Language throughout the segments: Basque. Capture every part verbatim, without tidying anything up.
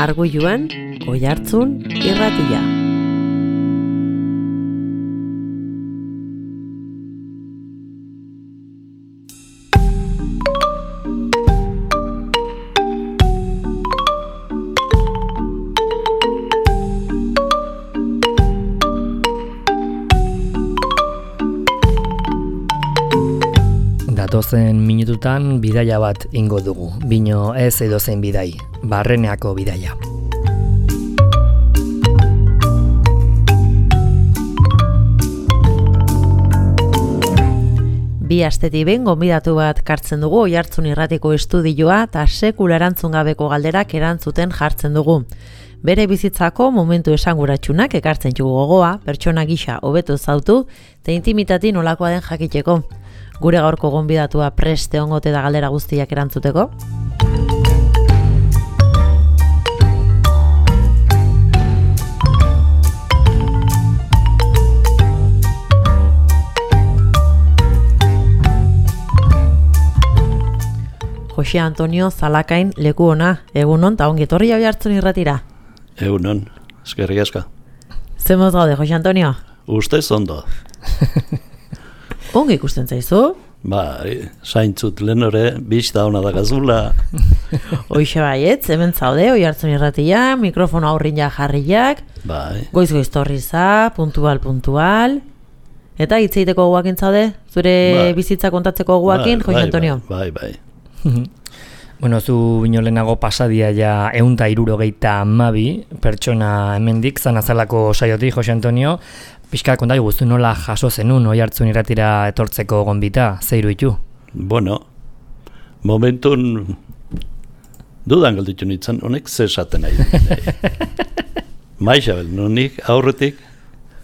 Arguiluan, Oihartzun irratia. Datozen minututan bidaia bat ingo dugu, bino ez edozein bidai, Barreneako bidaia. Bi astetik behin gonbidatu bat kartzen dugu Oihartzun irratiko estudioa eta sekula erantzun gabeko galderak erantzuten jartzen dugu. Bere bizitzako momentu esanguratsunak ekartzen dugu gogoa, pertsona gisa hobeto zautu eta intimitati nolakoa den jakiteko. Gure gaurko gonbidatua preste ongote da galdera guztiak erantzuteko. Jose Antonio Zalakain leku ona, egunon eta ongi etorri Oihartzun irratira. Egunon, eskerrik asko. Zemoz gaude, Jose Antonio? Ustez ondo. Ongi ikusten zaizu? Ba, zaintzut lehenore, bizta hona da gazula. Hoixe baietz, hemen zaude, Oihartzun irratia, mikrofono aurrin ja jarriak, Bai. goiz-goiz torriza, puntual, puntual, eta hitzeiteko guakin zaude, zure Bai. bizitza kontatzeko guakin, Bai, Jose Antonio? Bai, bai, Bueno, zu bino lehenago pasadia ja eunta irurogeita amabi pertsona hemendik zanazalako saiotik, Jose Antonio. Pixka konta guztu nola jaso zenun Oihartzun irratira etortzeko gonbita, zeiru itu? Bueno, momentun dudan galditu nintzen, honek ze esaten nahi. Maixabel, nunik aurretik,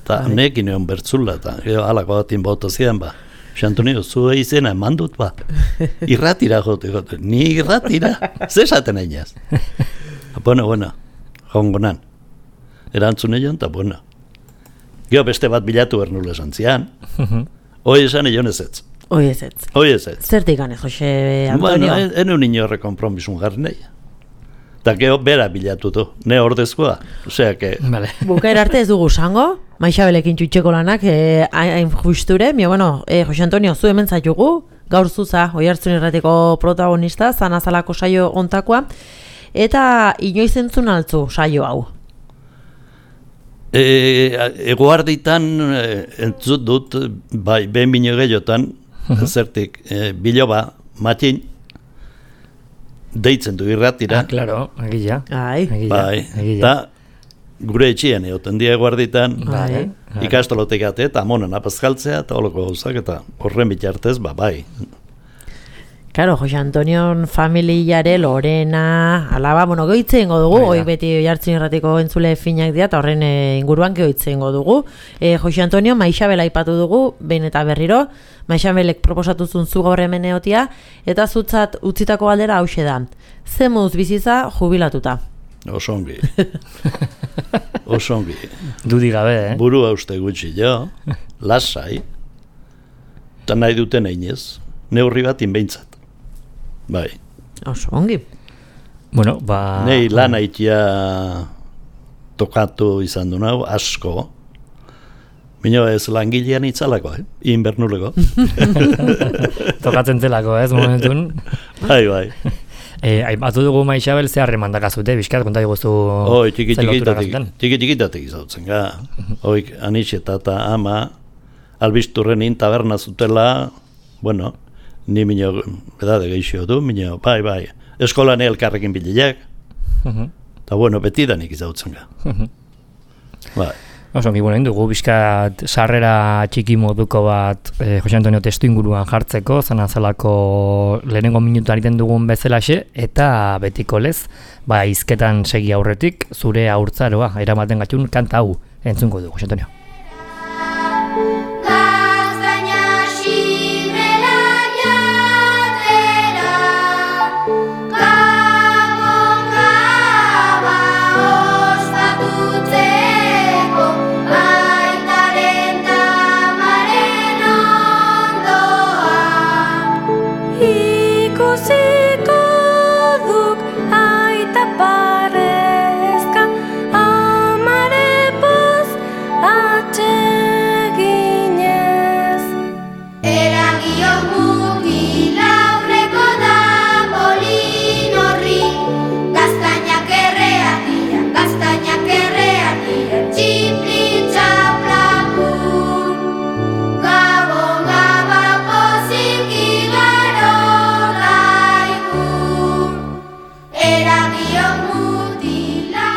eta Bai. nekin egon bertzula, eta gero halako batin bauta zidan, ba. Jose Antonio, zu izena eman dut, ba. Irratira jote, jote. Ni irratira, ze esaten nahi naz. Bueno, bueno, jongonan. Erantzun egin, eta bueno. Gero beste bat bilatu bernule esan zian. Hoi esan egin ezetz. Hoi ez ez. Hoi ezetz. Zertik gane, Jose Antonio? Bueno, enu niñorre kompromisun jarri nahi. Eta gero bera bilatu du, ne ordezkoa. Osea, que... Vale. Bukaera arte ez dugu zango, Maixabelekin txutxeko lanak, eh, hain justure, mio, bueno, eh, Jose Antonio, zu hemen zaitugu, gaur zuza, Oihartzun irratiko protagonista, zanazalako saio ontakoa, eta inoiz entzun altzu saio hau. E, eguarditan e, entzut dut, bai, behin bino gehiotan, zertik, e, biloba, matin, deitzen du irratira, Ah, claro, egia. Ai, Egia, bai, egia. eta gure etxean egoten die eguarditan, Bai. ikastolotek ate, eta monen apazkaltzea, eta holoko gauzak, eta horren bitartez, ba, bai. Karo, Jose Antonion familiare, Lorena, alaba, bueno, goitze ingo dugu, Bai da. hoi beti Oihartzun irratiko entzule finak dira, eta horren eh, inguruan goitze ingo dugu. Eh, Jose Antonio, Maixabel aipatu dugu, behin eta berriro, Maixabelek proposatu zuen zu gaur hemen egotia, eta zutzat utzitako galdera hauxe da. Ze moduz bizitza jubilatuta? Osongi. Osongi. Dudi gabe, eh? Burua uste gutxi jo, lasai, eta nahi duten einez, neurri bat inbeintzat. Bai. Oso ongi. Bueno, ba... Nei lan haitia tokatu izan du nau, asko. Mino ez langilean itzalako, eh? Inbernuleko. Tokatzen zelako, ez, momentun. Bai, bai. Eh, aipatu dugu Maixabel ze harreman dakazute, bizkat, konta diguzu... Hoi, txiki ze lotura txikitatik, gazuten. txiki txikitatik izautzen, ga. Hoi, anixeta eta ama, albisturrenin taberna zutela, bueno, ni mino, edade geixio du, mino, bai, bai, eskolan elkarrekin bileak, Mhm. eta bueno, betidanik izautzen, ga. Bai. Oso, ongi, bueno, dugu bizkat sarrera txiki moduko bat eh, Jose Antonio testu inguruan jartzeko, zanazalako lehenengo minutu egiten dugun bezalaxe, eta betiko lez, ba, hizketan segi aurretik, zure aurtzaroa, eramaten gatxun kanta hau entzungo dugu, Jose Antonio. Ikusiko duk aita pare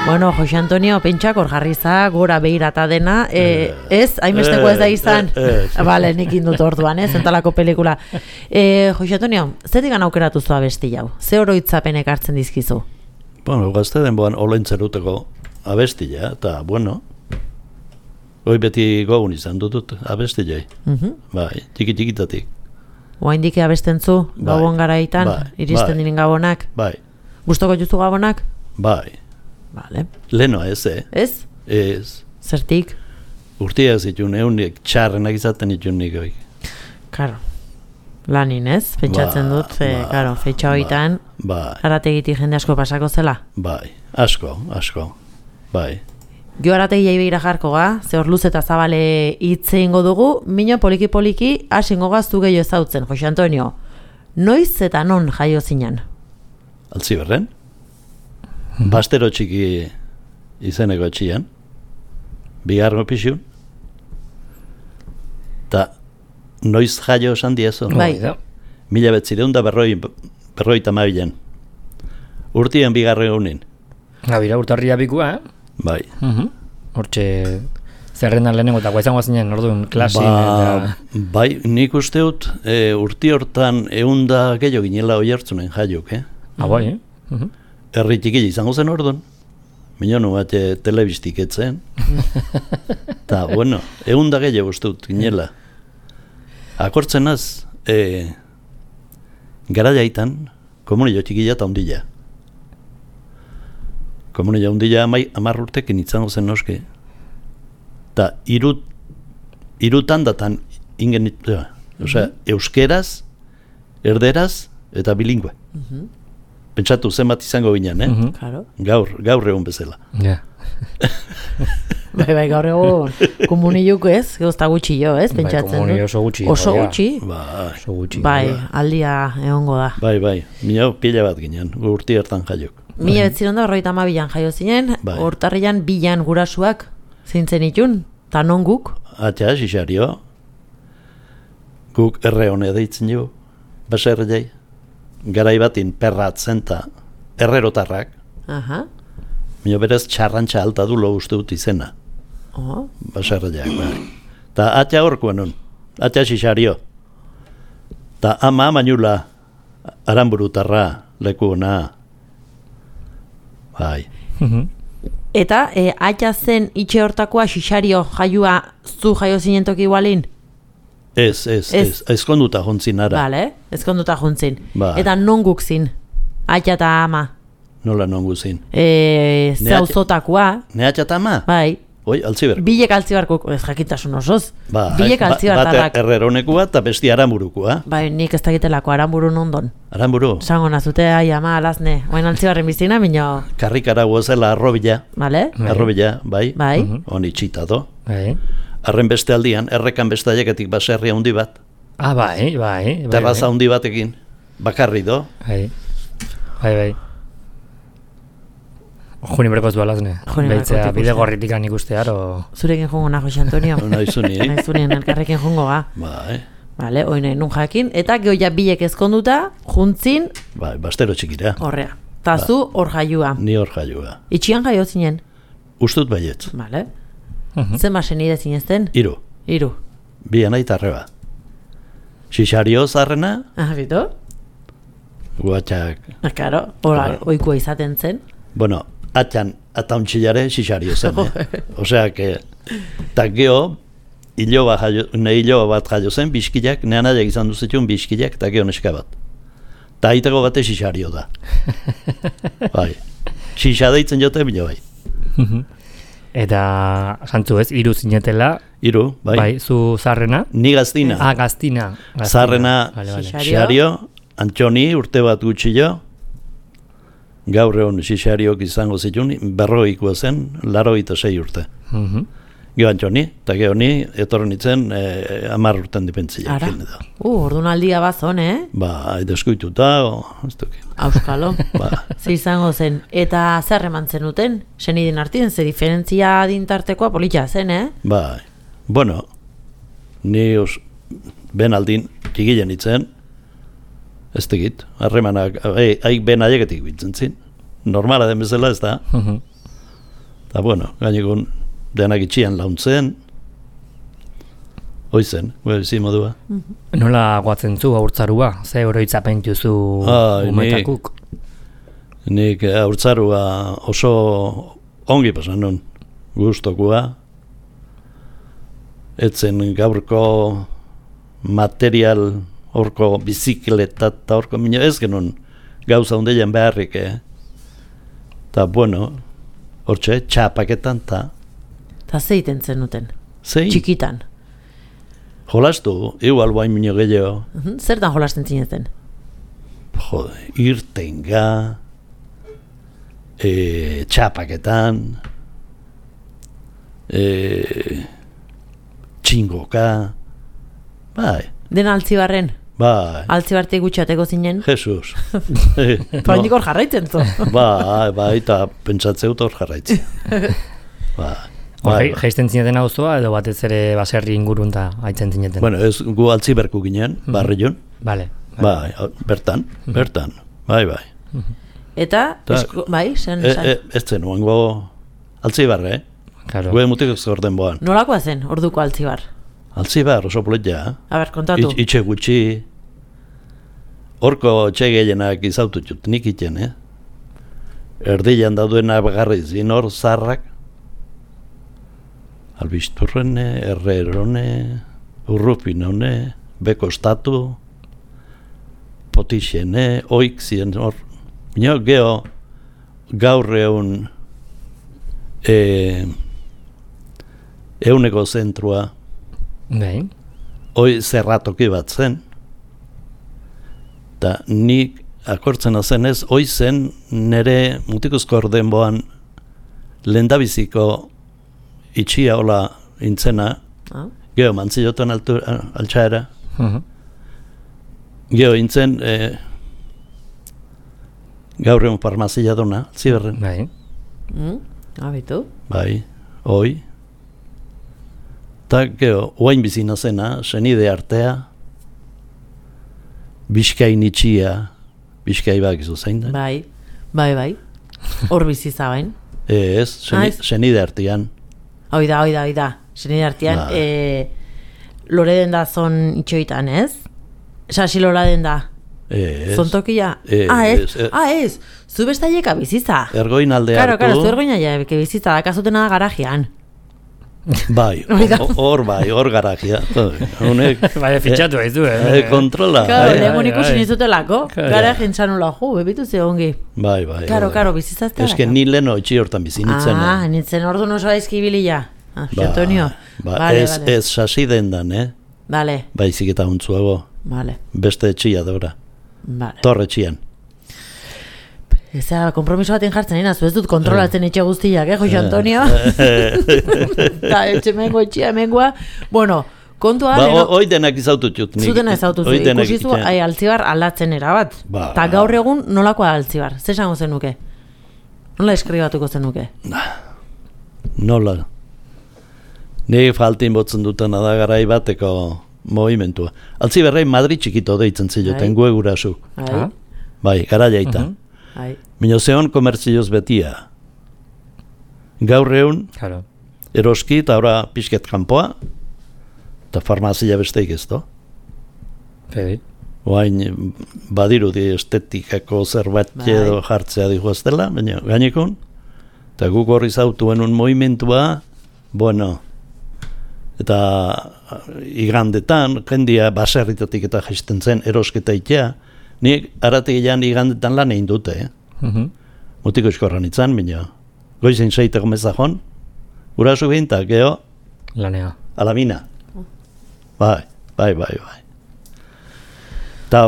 Bueno, Jose Antonio, pentsak hor jarri za, gora behirata dena, e, ez, hainbesteko ez da izan, bale, nik indut orduan, ez, entalako pelikula. E, Jose Antonio, zetik gana aukeratu zua besti jau? Ze oroitzapenek hartzen dizkizu? Bueno, gazte denboan olentzeruteko abestia, eta, bueno, hoi beti gogun izan dutut abestiai, Uh-huh. bai, txiki-txikitatik, Oaindik abestentzu, Bai, gabon garaitan, bai, iristen bai. diren gabonak? bai, Gustoko juzu gabonak? bai, Vale. leno ez, eh? Ez? Ez, Zertik? urtia zituen, eunik txarrenak izaten itun nik hoi. Karo. Lanin, ez? Pentsatzen Ba, dut, e, ba, karo, feitxa hoitan, Bai, arategitik jende asko pasako zela. bai, asko, asko, bai. Gio arategi begira jarko ga, ze hor luz eta zabale hitze ingo dugu, mino poliki-poliki hasingo gaztu gehiago ezautzen, Jose Antonio. Noiz eta non jaio zinen? Altzi berren? Bastero txiki izeneko etxian, bigarro pixun, eta noiz jaio esan diezo. Bai. Da. Mila betzireun da berroi, berroi tamabilen. Urtien bigarro egunin. Gabira, urtarria bikua, eh? Bai. Mhm. Hortxe, zerrendan lehenengo eta guaizango zinen, orduan, klasin Ba, eta... bai, nik uste dut, e, urti hortan eunda gehiago ginela oi hartzunen jaiok, eh? Ah, bai, eh? Mhm. Herri txikila izango zen orduan. Minonu bat e, telebistik etzen. Ta, bueno, eunda gehiago uste dut ginela. Akortzen az, e, gara jaitan, komunio txikila eta ondila. Komunio ondila amai, amar urtekin izango zen noske. Ta, irut, irutan datan ingen, ja, osea, euskeraz, erderaz eta bilingüe. Mhm. Pentsatu zenbat izango ginen, eh? Mhm. Claro. Gaur, gaur egun bezala. Ja. Bai, bai, gaur egun komuniluk ez, gozta gutxi jo, ez, Bai, pentsatzen komuni dut. oso gutxi. Oso ja. gutxi? Bai, Oso gutxi. Bai, ja. aldia egongo da. bai, bai. Mila pila bat ginen, urti hartan jaiok. Mila betziron da horreita amabilan jaio zinen, Bai. hortarrian bilan gurasuak zintzen itun, ta non guk? Atxa, xixario, guk erre hone deitzen jo, baserre jai. Garai batin perratzen ta errerotarrak, Aha. mila berez txarrantxa alta du lo uste dut izena, Oh. baserre jai, bai. Ta atxa horkoan nun, atxa xixario. Ta ama mainula aranburutarra, leku ona. Bai. Mhm. Eta, e, atxa zen itxe hortakoa xixario jaiua zu jaio zinen toki igualin? Ez, ez, Ez. ez, ezkonduta jontzin ara. Bale, ezkonduta juntzin. Bai. Eta non guk zin? Atxa eta ama. Nola nongu zin. E, Ne zauzotakoa, Ne atxa ta ama? bai. Oi, altziber. Bilek altzibarko, ez jakintasun osoz. Ba, Bilek ba- altzibartarrak. Bat erreronekua eta besti aranburukua. Bai, nik ez dakitelako aranburu nondon. Aranburu, Zango nazute, ai, ama, alazne. Oain altzibarren bizina, minio, karrikara guazela arrobila. bale? Bai. Arrobila, bai. Bai. Mhm. Honi txita do. Bai. Arren beste aldian, errekan beste aiekatik baserri handi bat. Ah, bai, bai. bai, Terraza bai. handi batekin. Bakarri do. Bai, bai, bai. Juni berkoz dualazne. Juni berkoz Beitzea, ikusten. bide gorritikan ikustear, o... Zurekin jongo na, Jose Antonio. Naizuni, eh? Naizunien elkarrekin jongo ga. Bai, Bale, oin nahi nun jakin. Eta gehoia bilek ezkonduta, juntzin, bai, bastero txikira. horrea. Ta zu hor jaiua. Ni hor jaiua. Itxian jaio zinen. Ustut baietz. Bale. Mhm. Zen basen ide zinezten? Iru, Iru. bi anai tarreba. Xixario zarrena, Ah, bito? guatxak, Ah, karo, hola, Claro. oikua izaten zen. bueno, atxan, atauntxillare xixario zen, eh? Osea, que, eta geho, iloba jaio, ne iloba bat jaio zen, biskilak, nean aiak izan duzitun biskilak, eta geho neska bat. Ta aiteko bate xixario da. Bai, xixa deitzen jote bilo bai. Eta, santzu ez, hiru zinetela, Iru, bai. bai, zu zarrena. Ni gaztina. Ah, gaztina. gaztina. Zarrena, Vale, vale. Xixario. xixario, Antxoni, urte bat gutxillo, gaur egon xixariok izango zitun, berroikoa zen, laro eta sei urte. Mhm. Gio Antxoni, eta geho ni, etorren nitzen, eh, amar urten dipentzia. Ara. Uh, ordunaldia bazon, eh? Ba, deskuituta, o, ez duki. Auskalo. Ba, Ze izango zen. Eta zer eman zenuten? Senidin artien, ze diferentzia adintartekoa polita zen, eh? ba, bueno, ni os, ben aldin, txigilen nitzen, ez tegit, harremanak, haik ben aieketik bintzen zin. Normala den bezala ez da. Mhm. Eta, bueno, gainekun denak itxian launtzen, hoizen, gure bizi modua. Nola guatzen zu haurtzarua? Ze oroitzapen duzu umetakuk? Nik haurtzarua oso ongi pasan nun, gustokua. Etzen gaurko material horko bizikleta eta horko minio ez genuen gauza hundean beharrik, eh? Ta bueno, hortxe, txapaketan ta. Ta zeiten zenuten? Zein? Txikitan? Jolastu, igual bain minio gehiago. Uh-huh. Zertan jolasten zineten? Jode, irtenga, e, txapaketan, e, txingoka, bai. Dena altzibarren? Bai. Altzibartik gutxateko zinen? Jesus. Paindik hor jarraitzen zu. Bai, bai, eta pentsatzeut hor jarraitzen. Bai. Bai, jaisten zineten auzoa edo batez ere baserri ingurun da haitzen zineten? Bueno, ez gu altziberku ginen, mm-hmm. barrion. Vale. Bai, bertan, mm-hmm. bertan, bai, bai. Mm-hmm. Eta, Ta, esko, bai, zen, e, e, ez zen, oango altzibarre, eh? Claro. Gue mutik orden boan. Nolakoa zen, orduko altzibar? Altzibar, oso poletia. A ber, kontatu. Itxe, itxe gutxi, horko txe gehienak izaututut nik iten, eh? Erdilan dauduena bagarri zin hor zarrak, albisturrene, errerone, urrupinone, bekostatu, potixene, oik ziren hor. Bino, geho, gaur egun e, euneko zentrua, Bai. hoi zerratoki bat zen, eta nik akortzen zenez, hoi zen nire mutikuzko orden boan lehendabiziko itxia hola intzena, ah. geho mantzilotan altxaera, uh-huh. geho intzen e, gaur egun farmazia duna, ziberren. Bai. Mm, abitu. Bai, hoi. Eta geho, oain bizina zena, senide artea, Bizkain itxia, Bizkai bakizu zein da? Bai, bai, bai. Hor biziza bain. Ez, seni, senide artean. Hoi da, hoi da, hoi da. Senide artean, Ba. e, lore den da zon itxoitan, ez? Sasi lora den da. Ez. Zontokia? Ez. Ah, ez, ez. ah, ez. Zu bestaieka biziza. Ergoin alde Karo, hartu. karo, zu ergoin alde bizitza, dakazutena garajian. Bai, hor bai, hor garajia. Honek... Bai, fitxatu ez du, eh? Kontrola. Karo, lehenko ikusi nizutelako, garajin txanula ju, bebitu ze ongi. Bai, bai. Karo, karo, bizizazte. Ez que ni leno itxi hortan bizi nintzen. Ah, nintzen ordu noso aizki bilila. Ah, Antonio. Ba, vale, ez, vale. ez sasi dendan, eh? Vale. Baizik eta untzuago. Vale. Beste etxia daura. Vale. Torre etxian. Eza, kompromiso baten jartzen nina, zu ez dut kontrolatzen etxe guztiak, eh, Jose Antonio? Eta etxe mengo, etxea mengoa. Bueno, kontua... Ba, hoi denak izaututut. Zutena izautuzu, ikusizu, ai, altzibar aldatzen erabat. Ba. Eta gaur egun nolakoa altzibar? Zer esango zenuke? Nola eskribatuko zenuke? Nola? Ni faltin botzen dutena da garai bateko movimentua. Altzibarrei Madrid txikito deitzen ziloten, gue gurasuk. Bai. Bai, gara jaita. Uh-huh. Bai. Mino zeon komertzioz betia. Gaur egun, claro. Eroski eta ora pixket kanpoa, eta farmazia besteik ez do. Fede. Oain badirudi estetikako zerbait edo jartzea dihu ez dela, baina gainekun, eta guk horri zautuen un movimentua, bueno, eta igandetan, jendia baserritatik eta jaisten zen erosketa itea, nik arategian igandetan lan egin dute, eh? Uh-huh. Mutiko eskorran itzan, baina goizen seiteko mezakon, gurasu binta, geho, lanea. Alamina. Bai, bai, bai, bai. Eta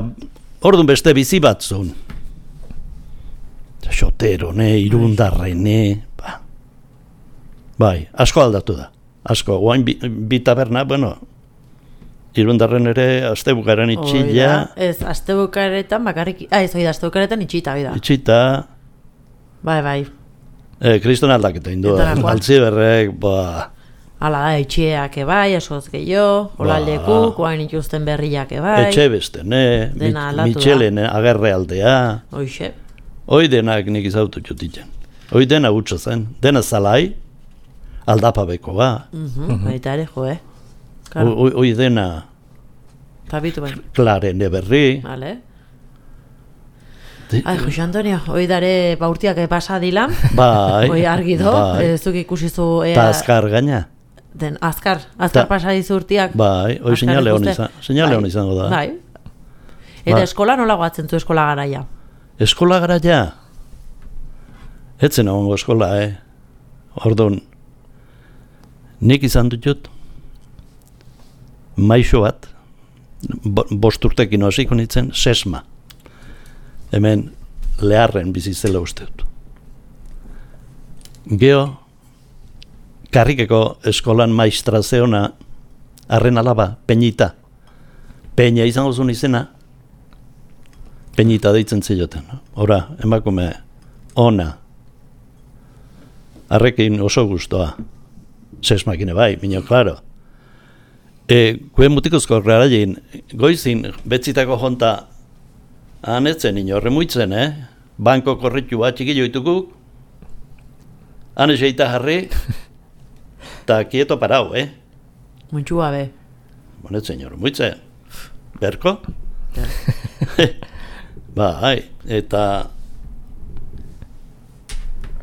orduan beste bizi batzun. Xotero, ne, irundarrene, ba. Bai, asko aldatu da. Asko, guain bi, bi taberna, bueno, irundarren ere astebukaren itxila. Ez, astebukaretan bakarrik, ah, ez, oida, astebukaretan itxita, oida. Itxita. Bai, bai. Eh, kriston aldaketa indu, altziberrek, ba... Hala da, etxeak ebai, askoz gehiago, hola ba. Leku, koain ikusten berriak ebai. Etxe beste, ne, Dena aldatu Mitxelen agerre aldea. Hoixe. Hoi denak nik izautu txutitzen. Hoi dena gutxo zen, dena zalai, aldapabekoa. Mhm, baita ere, jo, eh? Hoi hoi dena Tabitu bai. klaren eberri. Vale. Ai, Jose Antonio, hoi dare baurtiak pasa dila. Bai. Hoi argi do, bai. ez duk ikusizu... Ta azkar gaina. Den, azkar, azkar Ta- pasa dizu urtiak. Bai, hoi Azkar seinale hon ikuste. izan, seinale hon Bai, izango da. Bai. Eta Ba. eskola nola goatzen zu eskola garaia? Eskola gara ja. Etzen egongo eskola, eh? Orduan, nik izan dut jut, maixo bat, bo, bost urtekin hasiko nintzen, sesma. Hemen leharren bizizela uste dut. Geo, karrikeko eskolan maistra zeona, arren alaba, Peñita. Peña izango zuen izena, Peñita deitzen zioten. No? Ora, emakume, ona, arrekin oso gustoa. Sesmakine bai, minio, klaro. E, kuen mutikozko garaien, goizin, betzitako jonta, anetzen ino, remuitzen, eh? Banko korritu bat txiki joitukuk, ane seita jarri, eta kieto parau, eh? Muntxua be. Bonetzen ino, remuitzen. Berko? Bai, eta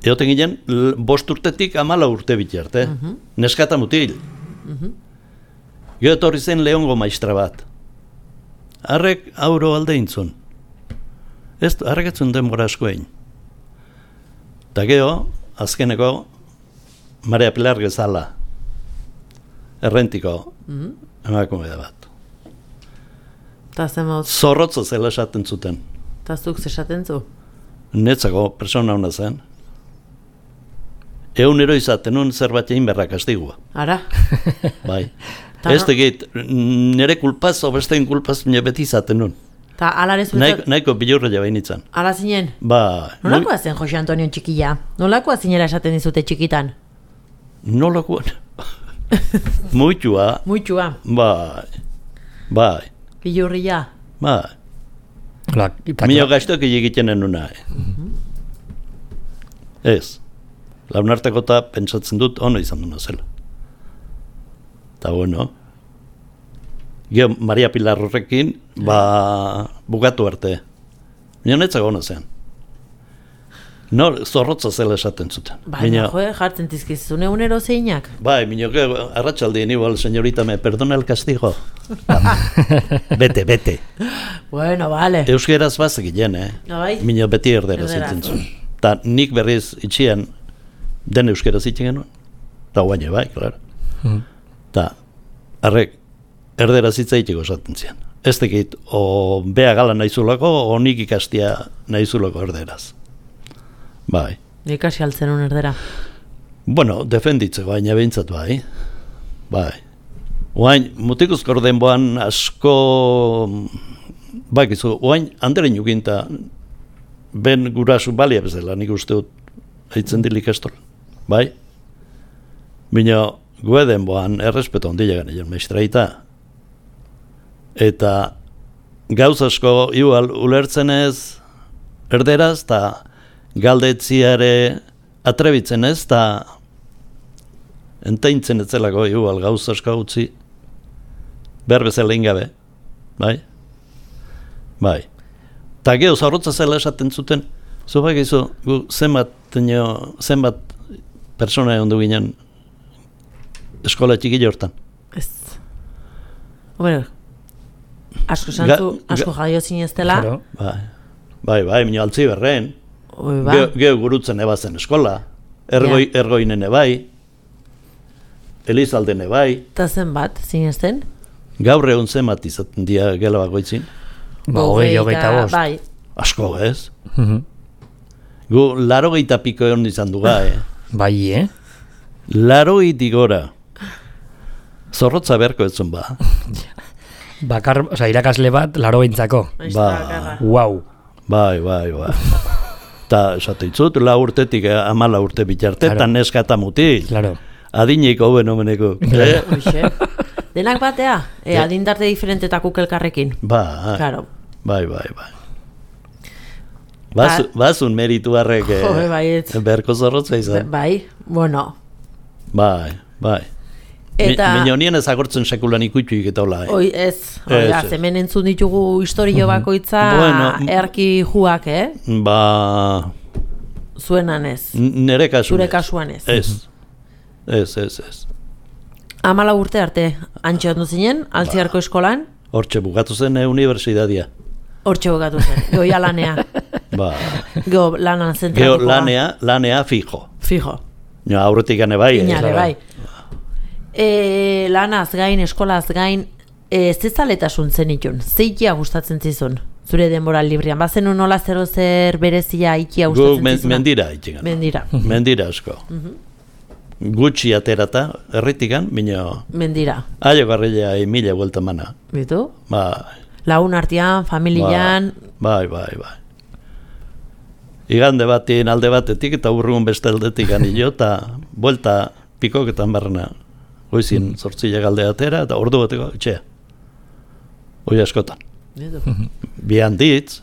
eoten ginen, l- bost urtetik amala urte bitarte, Mhm. neskata mutil. Mhm. Gero etorri zen Leongo maistra bat. Harrek auro alde intzun. Ez, harrek etzun denbora asko egin. Eta gero, azkeneko, Maria Pilar Gezala, errentiko Mhm. emakume da bat. Ta zemoz, Zorrotzo zela esaten zuten. ta zuk zesaten zu? Netzako persona hona zen. Egunero izaten nun zerbait egin berra kastigua. Ara? Bai. Ta Ez no- tegit, nire kulpaz, obestein kulpaz, nire beti izaten nun. Ta alare Naiko, zuetzat, nahiko bilurra jabe nintzen. ala zinen? Ba, Nolakoa zen Jose Antonio txikila? Nolakoa zinela esaten dizute txikitan? nolakoan? Muitua, Muitxua, bai, bai, bilurria. bai. La, eta, Mino gaiztok egiten enuna. Eh? Ez. Launarteko eta pentsatzen dut ono izan duna zela. Eta bueno, gero Maria Pilar horrekin, ba, bukatu arte. Mino netzako ono zen. No, zorrotza zela esaten zuten. Baina, jo, jartzen tizkizune unero zeinak. Bai, mino, gero, arratsaldien igual, señorita, me perdona el castigo. Bete, bete. Bueno, vale. Euskeraz bazekien, eh? Bai. Mino beti erderaz Erderaz. itzen zuen. Ta nik berriz itxian, den euskeraz itzen genuen. Ta guaine bai, klar. Mhm. Ta, arrek, erderaz itzaiteko esaten zian. Ez tekit, o bea gala nahizulako, o nik ikastia nahizulako erderaz. Bai. Ikasi altzen un erdera. Bueno, defenditzeko, baina behintzat bai. Bai. Oain, mutikuzko denboan asko, bakizu, oain, anderen juginta, ben gurasu balia bezala, nik uste dut, haitzen dil ikastola. Bai? Bina, gue denboan, errespeto ondila gane, maistraita. Eta, gauz asko, igual, ulertzen ez, erderaz, eta galdetziare atrebitzen ez, eta entaintzen etzelako, igual, gauz asko utzi, behar bezala ingabe, bai? Bai. Ta geho, zorrotza zela esaten zuten, zu bakizu, gu zenbat, nio, zenbat persona egon du ginen eskola txiki hortan. Ez. Bueno, asko Ga- santzu, asko ga- jaio zineztela. Claro. Bai, bai, bai, mino altzi berren, Oi, ba. geho, geho gurutzen ebazen eskola, ergoi, ergoinen ebai, Elizalden ebai, Ta zenbat, zinezten? gaur egun zenbat izaten dia gela bakoitzin, Ba, hogei, hogeita bost. Bai, asko ez? Mhm. Gu laro geita piko egon izan duga, eh? Bai, eh? Laro gora. Zorrotza beharko etzun ba. Bakar, oza, irakasle bat, laro behintzako. Ba. Wow. Bai, bai, bai. Ta, esate itzut, la urtetik eh, amala urte bitarte, Claro. eta neska eta mutil. Claro. Adineiko hoben omeneko. Eh? Hoxe. Denak batea? E, Eh. adindarte diferentetakuk elkarrekin. Bai, Claro. bai, bai, bai. Bazu, bazun meritu harrek Jo, baiet. berko zorrotza izan. Bai, bueno. Bai, bai. Eta... Mi, Minonien ez agortzen sekulan ikutuik eta hola. Eh? Oi, ez. Oia, hemen entzun ditugu historio bakoitza Bueno, erki juak, eh? Ba... Zuenan ez. Nere kasuan Zure kasuan ez. Ez. Ez, ez, ez. Amala urte arte, antxe ondo zinen, Altziarko eskolan, Hortxe bukatu zen eh, unibertsitatea. hortxe bukatu zen, goia lanea. Ba... Geo lanan Geo zentratuko. lanea, lanea fijo. Fijo. No, aurretik gane bai. eh? Inale, bai. E, lanaz gain, eskolaz gain, e, zezaletasun zen itun, zeikia gustatzen zizun, zure denbora librian, bazen nola zero zer berezia ikia Guk gustatzen men, zizuna? mendira itxegan. Mendira. Mendira asko. Gutxi aterata, erritikan, bino... Mendira. Aio garrila mila buelta mana. Bitu? Bai. Lagun artean, familian, Bai, bai, bai. Igande batien alde batetik eta urrun beste aldetik anillo, eta buelta pikoketan barrena. Goizin zortzila galde atera, eta ordu bateko etxea. Hoi askotan. bitu. Bi handitz,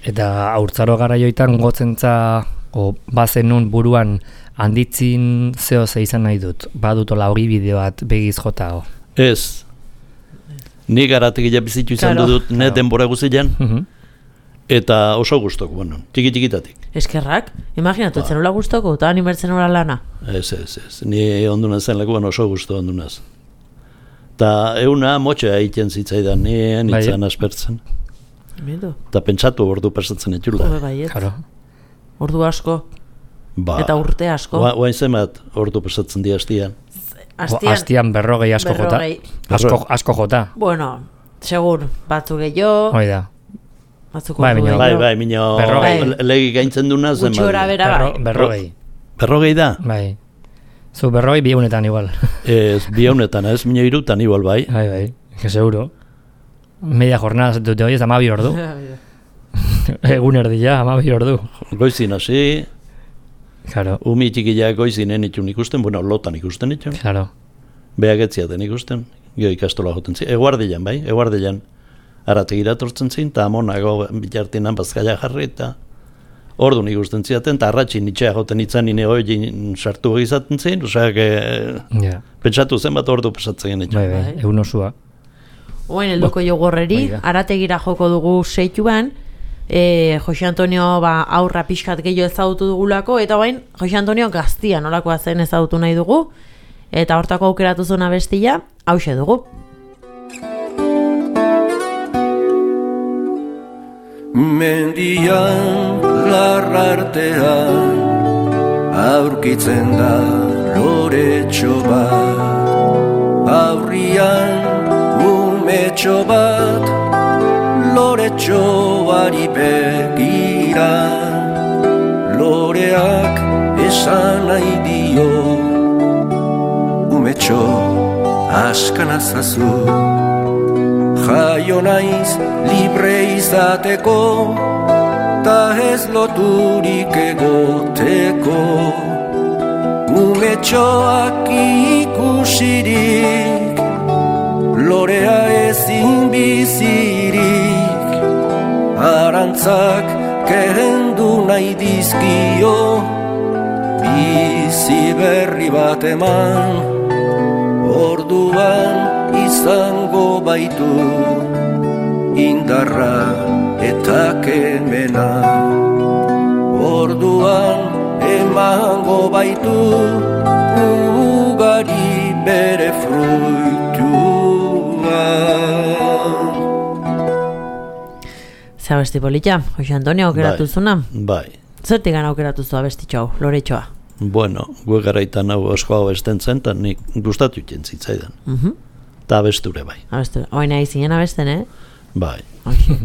Eta haurtzaro garaioitan gotzentza, o bazenun buruan handitzin zeo ze izan nahi dut. Badutola hori bideo bat begiz jota. O. ez. Ni garatik ila bizitu izan Claro. dut, ne denbora guzilean, Mhm. eta oso guztok, bueno, tiki-tikitatik. Eskerrak, imaginatu, zenula guztoko, eta animertzen ora lana. Ez, ez, ez. Ni onduna zen lekuan oso guztu ondunaz. Ta euna motxea egiten zitzaidan, ni enitzan aspertzen. Bitu. Eta pentsatu ordu pasatzen etxula. Hobe baiet. Claro. Ordu asko, Ba, eta urte asko. Gua- Guain zemat ordu pasatzen di hastian. O, Astian, Astian berrogei asko jota. berrogei. Asko, asko jota. Bueno, segur, batzuk gehiago, Hoi da. batzuk Bai, ordu baina- Bai, gehiago. bai, mino Berrogei. le- legi gaintzen duna zen. Gutxi gora bera Berro, bai. berrogei. Berrogei da? Bai. Zu berrogei biegunetan igual. Ez, bi haunetan, ez, mino irutan igual bai. Bai, bai. Que seguro. Media jornada dute hoi ez amabi ordu. Egun erdia, amabi ordu. Goizin hasi, Claro, umi txikila goizinen itxun ikusten, bueno, lotan ikusten itxun. claro. Beak etziaten ikusten, gio ikastola joten zin. Eguardilan, bai, eguardilan. Arategira tortzen zin, eta amonago bitartinan bazkaia jarri, eta ordu ikusten ziaten, eta arratxin itxea joten itzan nine hoi sartu izaten zin, oseak, e, Ja. pentsatu zen bat ordu pasatzen itxun. Bai, bai, Bai. egun osua. Oain eldoko jogorreri, Hoi da. arategira joko dugu seituan, e, Jose Antonio ba, aurra pixkat gehiago ezagutu dugulako, eta bain Jose Antonio gaztia nolakoa zen ezagutu nahi dugu, eta hortako aukeratu zona bestia, hause dugu. Mendian larrartean aurkitzen da loretxo bat, aurrian umetxo bat loretxoari begira, loreak esan nahi dio, umetxo askanazazu. Jaio naiz libre izateko, ta ez loturik egoteko. Umetxoak ikusirik, lorea ezin bizirik. Arantzak kendu nahi dizkio, bizi berri bat eman, orduan izango baitu indarra eta kemena. Orduan emango baitu ugari bere fruitua. Zer abesti polita, Jose Antonio aukeratu Bai. zuna? Bai. Zertik gana aukeratu zu abestitxo hau, loretxoa? Bueno, gue garaitan hau osko hau esten zen, eta nik gustatu iten zitzaidan. Mhm. Eta abesture bai. Abestu, oain nahi zinen abesten, eh? Bai. Hoxe.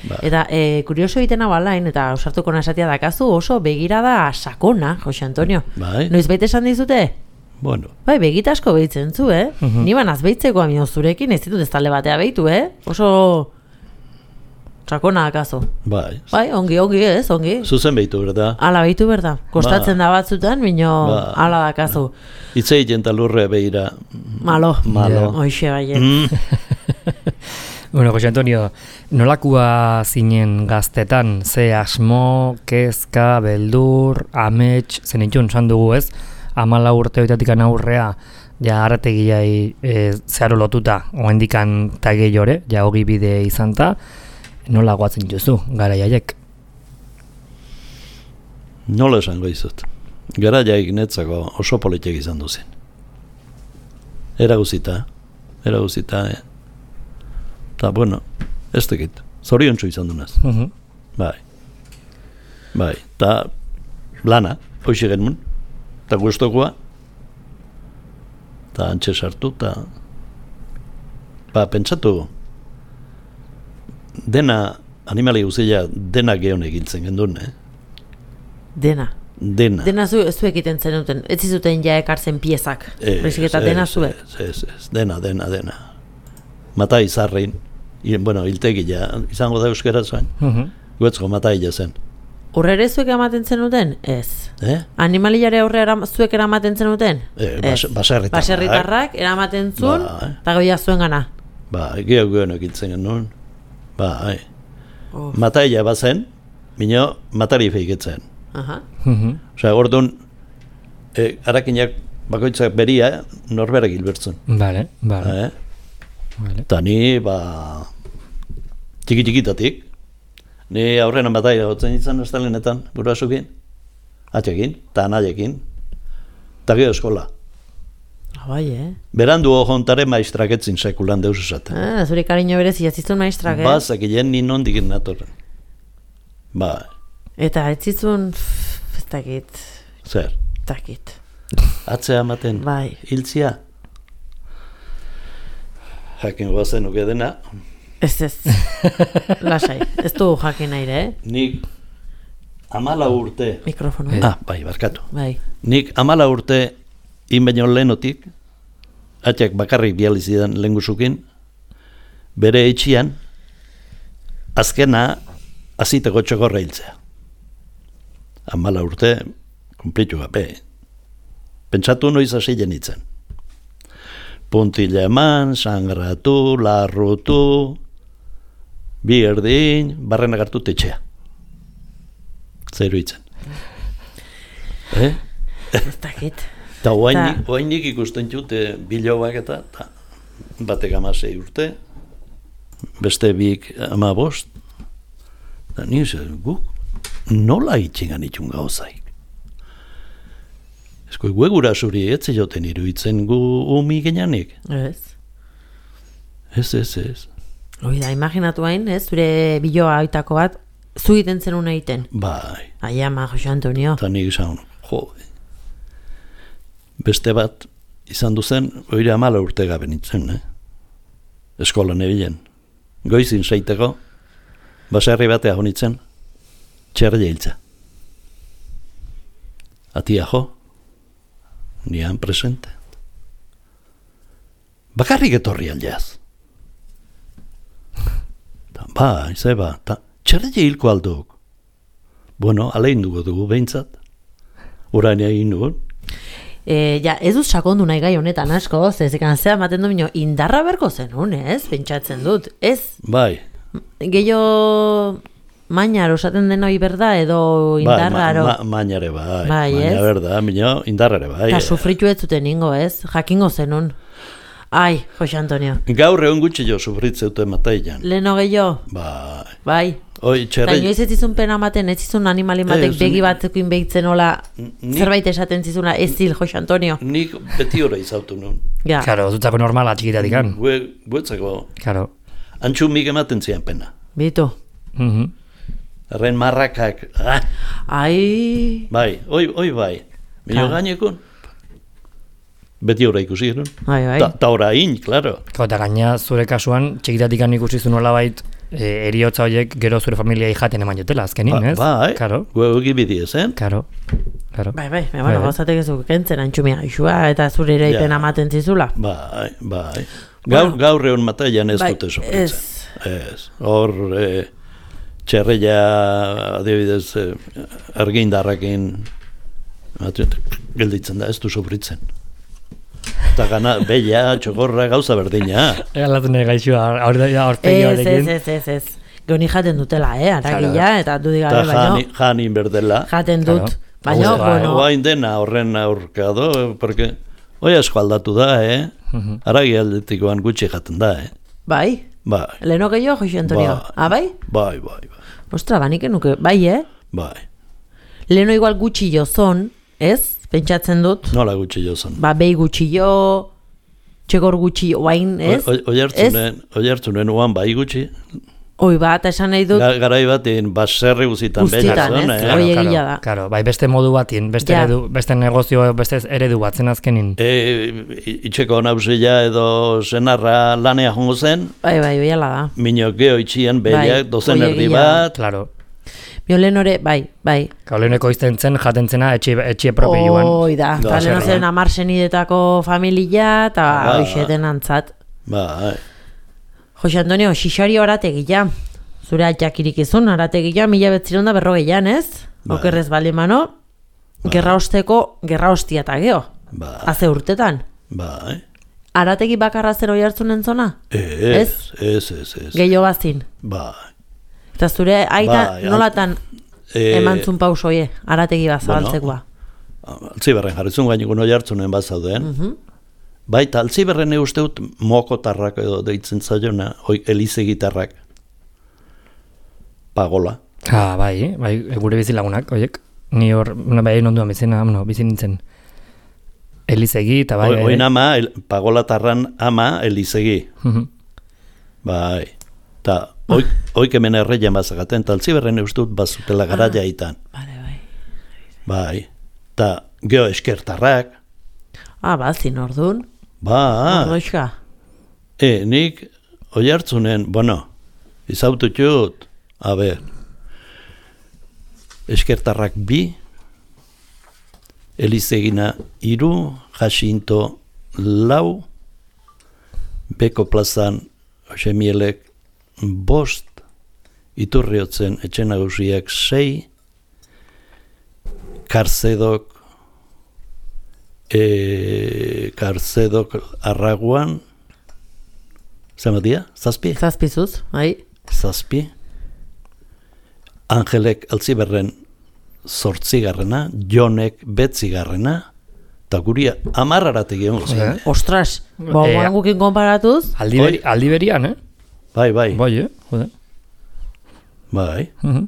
Bai. Eta e, kurioso egiten hau alain, eta ausartuko nasatia dakazu oso begirada sakona, Jose Antonio. Bai. Noiz baita esan dizute? Bueno, Bai, begitasko behitzen zu, eh? Ni banaz behitzeko amio zurekin, ez ditut ez talde batea behitu, eh? Oso sakona dakazu. bai. Bai, ongi, ongi ez, ongi. Zuzen behitu, berda? Ala behitu berda. Kostatzen da batzutan, bino Ba. ala dakazu. Itze egiten talurre behira. Malo. Malo. Hoxe baiet. Mm. Bueno, Jose Antonio, nolakua zinen gaztetan, ze asmo, kezka, beldur, amets, zen itxun, zan dugu ez, amala urte oitatik aurrea, ja arrategiai e, zeharo lotuta, oendikan tagei jore, ja hogi bide izan ta, nola guatzen duzu, gara jaiek? Nola esango izut. Gara jaik netzako oso politek izan duzen. Eraguzita, eraguzita, eh? Ta, bueno, ez tekit, zorion txu izan dunaz. Uh -huh. Bai, bai, ta lana, hoxe genuen, ta guztokoa, ta antxe sartu, ta ba, pentsatu, dena, animali guztia, dena geon egiltzen gendun, eh? Dena. Dena. Dena zu, zuek iten zenuten, ez zizuten ja ekartzen piezak, Ez, baizik eta ez, dena zuek. Ez, ez, ez, dena, dena, dena. Mata izarrein, i- bueno, hiltegia, izango da euskera zuen, Uh -huh. guetzko mata hila zen. Urrere zuek ematen zenuten? Ez. Eh? Animaliare aurre eram, zuek eramaten zenuten? Eh, bas, Ez. baserritarrak. Baserritarrak eramaten zuen, Bai. eta goia zuen gana. Ba, geho geho egiltzen genuen. Ba, hai. Oh. Mata hila bazen, minio matari feiketzen. Aha. Uh -huh. Osea, orduan, e, arakinak bakoitzak beria, norberak hilbertzen. Vale, vale. Eh? Vale. Eta ni, ba, txiki-txikitatik, ni aurrena bataila gotzen izan estalenetan, gurasukin, atxekin, eta anaiekin, eta gero eskola. Ah, bai, eh? Berandu ojontare maistrak etzin sekulan deus esaten. Ah, zure kariño berezi jazizun maestrak, eh? Bazakien ni nondik natorren. Ba, Eta ez zizun, pff, ez dakit, zer, ez dakit. atzea ematen, Bai. hiltzia. Jakin goazen nuke dena, Ez ez, lasai, ez du jakin nahi, eh? nik amala urte, Mikrofono. ah, bai, barkatu. Bai. Nik amala urte inbaino lehenotik, atxak bakarrik bializidan lengusukin, bere etxian, azkena aziteko txokorra hiltzea. Amala urte, kumplitu gabe. Pentsatu noiz hasi jenitzen. Puntila eman, sangratu, larrutu, bi erdin, barrenak hartu tetxea. Zeru itzen. Eh? Ez dakit. Eta Ta- oainik ikusten jute biloak eta, ta, batek amasei urte, beste bik ama bost, eta ni zen, guk nola itxingan itxun gauzaik. Ezko guegura zuri etze joten iruditzen gu umi genanik. Ez. Ez, ez, ez. Hoi da, imaginatu hain, ez? Zure biloa oitako bat, zu egiten zenun egiten. Bai, Ai ama, Jose Antonio. eta nik izan, jo, beste bat izan duzen, oire amala urte gabe nintzen, eh? Eskolan ebilen. Goizin seiteko, baserri batea honitzen, txerri hiltza. Atia jo, nian presente. Bakarrik etorri aldeaz. Ta, ba, izeba, ta, txerri hilko alduk. Bueno, alein dugu dugu behintzat. Orain egin dugu. E, ja, ez dut sakondu nahi gai honetan asko, zezikan zea ematen du minio, indarra berko zenun, ez? Pentsatzen dut, ez? Bai, Gehiago mainar osaten den hoi berda, edo bai, indarraro. ma, ma, mainare bai, Bai, maina ez? berda, minio, indarrare bai. Eta sufritu ez zuten ingo, ez? Jakingo zenun. Ai, Jose Antonio. Gaur egun gutxi jo sufritzeute matailan. Leheno gehiago, Bai, bai. oi Eta txerrei, inoiz ez zizun pena ematen, ez zizun animalin batek Ez, begi ni- batzekin behitzen hola, ni- zerbait esaten zizuna, ez zil, Jose Antonio. nik beti ora izautu nun. Ja, Claro, dutzako normala txikitatik an. Gue, guetzako, Claro. antxumik ematen zian pena. bitu. Uh -huh. Erren marrakak, ah, Ai, bai, oi, oi bai. Minio Claro. gainekun, beti ora ikusi genuen. bai, bai. Ta, ta orain, claro. Eta gaina zure kasuan, txikitatik an ikusi zu nolabait, e, eriotza horiek gero zure familiai jaten eman jotela, azkenin, Ba, ez? bai, Karo, gue egi bidiez, eh? karo, karo. Bai, bai, bai, Bai, bueno, bai. gauzatek ez du kentzen antxumia isua eta zure ere Ja. ipena ematen zizula. Bai, bai. Gaur, Bueno. gaur egun matailan ez Bai, dute sofritzen. ez. Ez. Hor, e, txerreia, adibidez, e, argindarrakin, gelditzen da, ez du sofritzen. Eta gana, bella, txokorra, gauza berdina. Egalatu nahi gaixua, aurpegi Ez, horrekin. ez, ez, ez, ez. Goni jaten dutela, eh, aragia, eta du digabe, Eta baino, janin berdela. jaten dut. Claro. Baina, Gustoa, bueno, Oain dena horren aurkado, porque hoi asko aldatu da, eh? Mhm. Aragi aldetikoan gutxi jaten da, eh? bai, Bai, leheno gehiago, Jose Antonio. Ba. Ah, bai? bai, bai, bai, Ostra, banik enuke, bai, eh? bai. Leheno igual gutxi jo zon, ez? Pentsatzen dut, Nola gutxi jozan. ba, behi gutxi jo, txekor gutxi jo, oain, ez? Oi hartzunen, oi hartzunen uan bai gutxi. Oi bat, esan nahi dut, Ga- Garai batean baserri guzitan Guztitan, bella zuen, ez? eh? Hoi egia da. Claro, bai beste modu batien, beste, Ja. eredu, beste negozio, beste eredu batzen azkenin. E, itxeko nausila edo senarra lanea jongo zen, bai, bai, oiala da. minok geho itxien Bai, behiak, dozen hoi erdi egia. bat, Claro. Biolen ore, bai, bai. Kauleneko izten zen, jaten zena, etxe, etxe propioan. Oi da, Da, eta leheno zer, zen amar senidetako familia, eta Ba. hoxeten antzat. bai. Jose Antonio, xixari orategia. Zure atxak irikizun, arategia, mila betziron da berrogeian, ez? Bai. Okerrez bali mano, gerra osteko, gerra ostia eta geho. Bai, Haze urtetan. bai. Arategi bakarra zer oi hartzunen zona? Ez, ez, ez, ez. Gehiago bazin. Bai. Eta zure aita Bai, nolatan Eh, emantzun pausoie, arategi bat zabaltzekoa. Altziberren jarrizun gaineko noi hartzunen bat zauden. Mhm. Baita, altziberren uste dut mokotarrak edo deitzen zaiona, hoi elize gitarrak. Pagola. Ah, bai, bai, gure bizilagunak, oiek. Ni hor, no, bai, onduan bizina, no, bizi nintzen. Elizegi, eta bai, Bai, Oin ama, el, pagolatarran ama elizegi. Mhm. Bai. Ta, oik, oik hemen erreien bazagaten, eta altziberren uste dut bazutela garaia itan. Bale, bai. Bai. Ta, geho eskertarrak. Ah, bazin ordun. Ba, Ordoixka. e, nik oi hartzunen, bueno, izaututut, a ber, eskertarrak bi, elizegina iru, jasinto lau, beko plazan Osemielek bost, iturriotzen etxe nagusiak sei, karzedok, e, karzedok arraguan, zematia, zazpi? Zazpizuz, bai. Zazpi. Angelek altziberren zortzigarrena, Jonek betzigarrena, eta guria amarrarategi egon zen. Eh? Ostras, ba, Eh, moran gukin konparatuz, Aldi, beri, aldi berian, eh? Bai, bai, Bai, eh? Jode. bai. Mhm.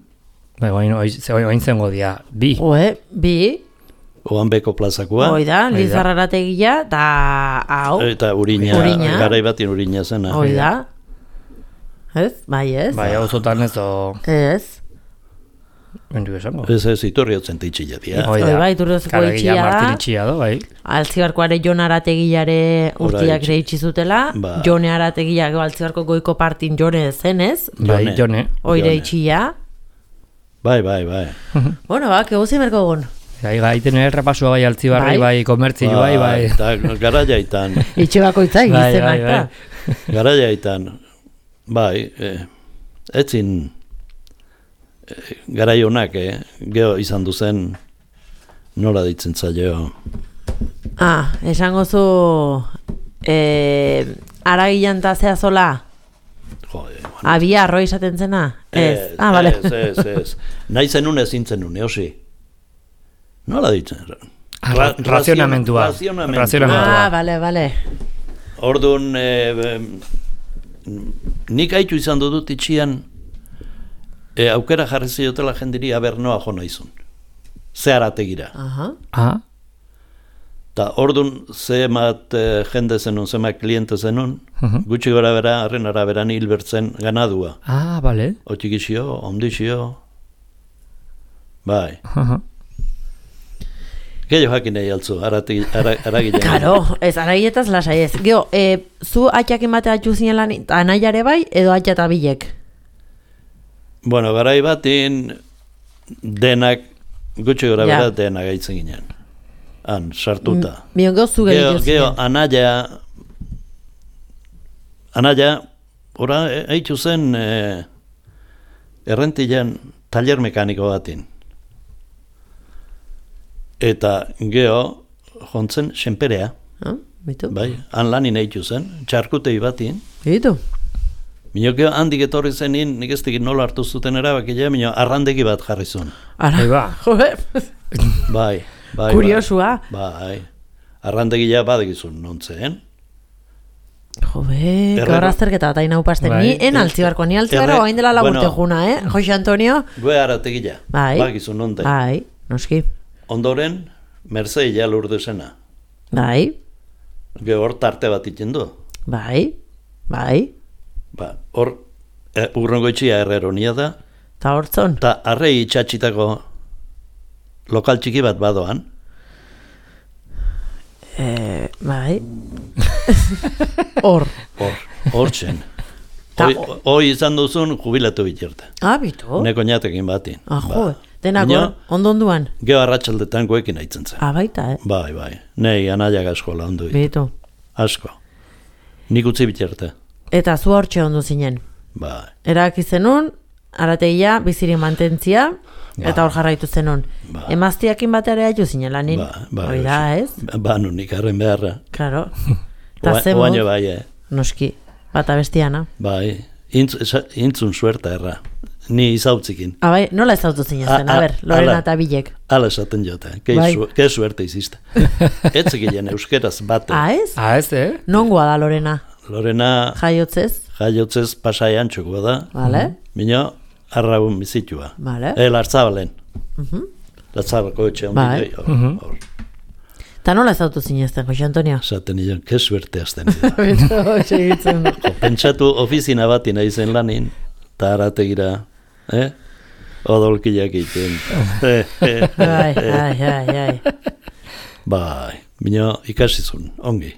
Bai, oain, oain, oain zengo dia, bi. oe, bi, Oan beko plazakoa, hoi da, Hoi da. Lizarrarategia, eta hau, eta urina, Urina. garai batin urina zena. hoi da. Ez, bai ez, Bai, hau zotan ez, o... ez. Endu esango. Ez ez, iturriotzen teitxila dia. Hoi Hoi da. bai, Iturriozko Claro, itxia egia da. Martin itxia do, bai. Altzibarkoare Jon Arategilare urtiak itxi. ere itxi zutela, Ba. Jone Arategia gero Altzibarko goiko partin Jone zenez, Bai, Jone. jone. oire Jone. itxia. Bai, bai, bai. Bueno, ba, keguzi merko egun. Gai, gaiten errepasua bai altzibarri, Bai. bai, komertzio, bai, bai. Eta garaia itan, Itxe bakoitzak Bai, izenak bai, da. bai. garaia itan, bai, eh, etzin eh, garai honak, eh, geho izan duzen, nola ditzen zaio. Ah, esango zu eh, aragilan ta zea zola, Jode, bueno. abia arroi izaten zena? Ez. Ah, bale. Ez, ez, ez. Nahi zenun ezin zenun, eosi. Nola ditzen? Ah, Ra- razionamentua. razionamentua. Razionamentua. Ah, bale, bale. Orduan, eh, nik haitu izan dut itxian, e, aukera jarri ziotela jendiri aber noa jo naizun. Ze arategira. Aha. Ah, Ta orduan zemat e, jende zenun, zemat kliente zenun, Mhm. gutxi gora bera, arren araberan hilbertzen ganadua. ah, bale. Otxikixio, ondixio, bai. Aha. Gehiago jakin nahi altzu, arati- ara- aragilean. Karo, ez araietaz lasai ez. Geo, e, zu atxak ematea atxu zinelan anaiare bai, edo atxa eta bilek? Bueno, garai batin denak, gutxi gora Ja. bera denak gaitzen ginen. Han, sartuta. Bion geo zu Geo, gehiago geo, anaia, anaia, ora, e- eitzu zen e, errentilean taller mekaniko batin. Eta geo, jontzen senperea. Ah, bitu? Bai, han lanin eitu zen, txarkutei batien. Bitu? Minok handik etorri zenin, nik ez digit nola hartu zuten erabakila, minok arrandegi bat jarri zuen. Ara, Bai, ba. joe, Bai, bai. kuriosua. Bai, bai. Arrandegila badegizun nontzen. Jobe, Herrero- gaur azterketa bat hain haupasten. Bai. Ni en altzibarko, ni altzibarko Herre- hain dela lagurte bueno. juna, eh? Jose Antonio? Gue arategila, Bai. badegizun nonten. Bai, noski. Ondoren, Merceila lurdesena. Bai, Ge hor tarte bat iten du. bai, bai. Ba, hor, e, urrongoitxia erreronia da, Ta hortzon. eta arrei itxatxitako lokal txiki bat badoan. Eh, bai. Hor. Hor, hor txen. Ta- Hoi, hoi izan duzun jubilatu biterte. Ah, bitu? Neko ñatekin batin. Ah, jo, denak Baina- hor, ondonduan. Geo arratsaldetan goekin aitzen zen. Ah, baita, eh? Bai, bai. Nei anaiak asko laundu dit. Bitu. Asko. Nik utzi biterte. Eta zu hortxe ondo zinen. Bai. Erabaki zenun, arategia bizirik mantentzia, eta hor jarraitu zenun. Ba. Emaztiakin batera haitu zinen lanin. Ba, ba, Hori da, ez? Ba, nunik harren beharra. Claro. Ta Oa- ze Oaino mod, bai, eh. noski, bata bestiana. Bai. Intz, esa- intzun suerta erra. Ni izautzikin. Ah, bai, nola ezautu zinen zen, A- a a- ber, Lorena ala. eta Bilek. Hala esaten jote. Ke, Bai. su, ke suerte iziste. Etzekilen euskeraz bate. Ah, ez? Ah, ez, eh? Nongoa da Lorena? Lorena Jaiotzez? jaiotzez pasaian txokoa da. Vale? Mino, arraun bizitua. Vale. E, Lartzabalen. Lartzabaleko etxe hondi. Bai. hor, Mhm. hor. Ta nola ezautu zinezten, Jose Antonio? Esaten nion, ke suerte azten nida. Beto, segitzen du. Jo, pentsatu ofizina bati nahi zen lanin, eta arategira, eh? Odolkiak egiten. Eh, eh, Bai, eh. bai, bai, bai. Bai, mino ikasizun, ongi.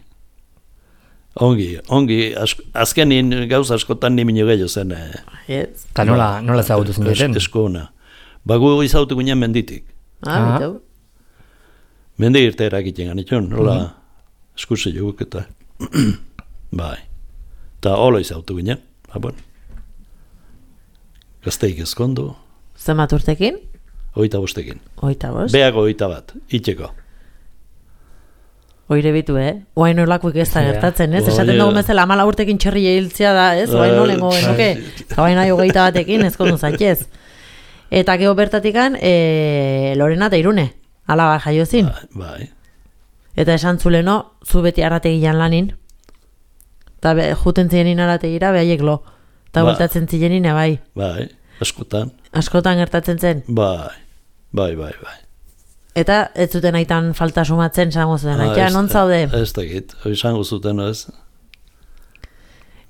Ongi, ongi, ask, azkenin gauz askotan ni mino gehiago zen. Eh, Ez? Eta nola, nola ezagutu es, zineten? eskuna. Ba, gu izautu ginen menditik. Ah, Ah. bitu. Mendi irte erakiten ganitxun, nola eskusi joguk eta. Bai. Eta hola izautu ginen, ba, bueno. Gazteik ezkondu, Zenbat urtekin? oita bostekin. Oita bost. Beago oita bat, itxeko. Oire bitu, eh? Oain olakoik ez da Ja. gertatzen, ez? Oie. Esaten dugu bezala amala urtekin txerri hiltzea da, ez? Oain nolengo genuke. Oain nahi hogeita batekin, ez kondu zaitez. Eta geho bertatikan, e, Lorena eta Irune. Alaba jaiozin. Bai, bai. Eta esan zuleno, zu beti arrategian lanin. Eta be, juten zienin arrategira, behaiek lo. Eta Ba. bueltatzen zienin, bai. Bai, askotan. Askotan gertatzen zen. Bai, bai, bai, bai. Eta ez zuten aitan falta sumatzen, zango zuten. Ah, Aitea, ez- non zaude? Ez dakit, hori izango zuten, ez?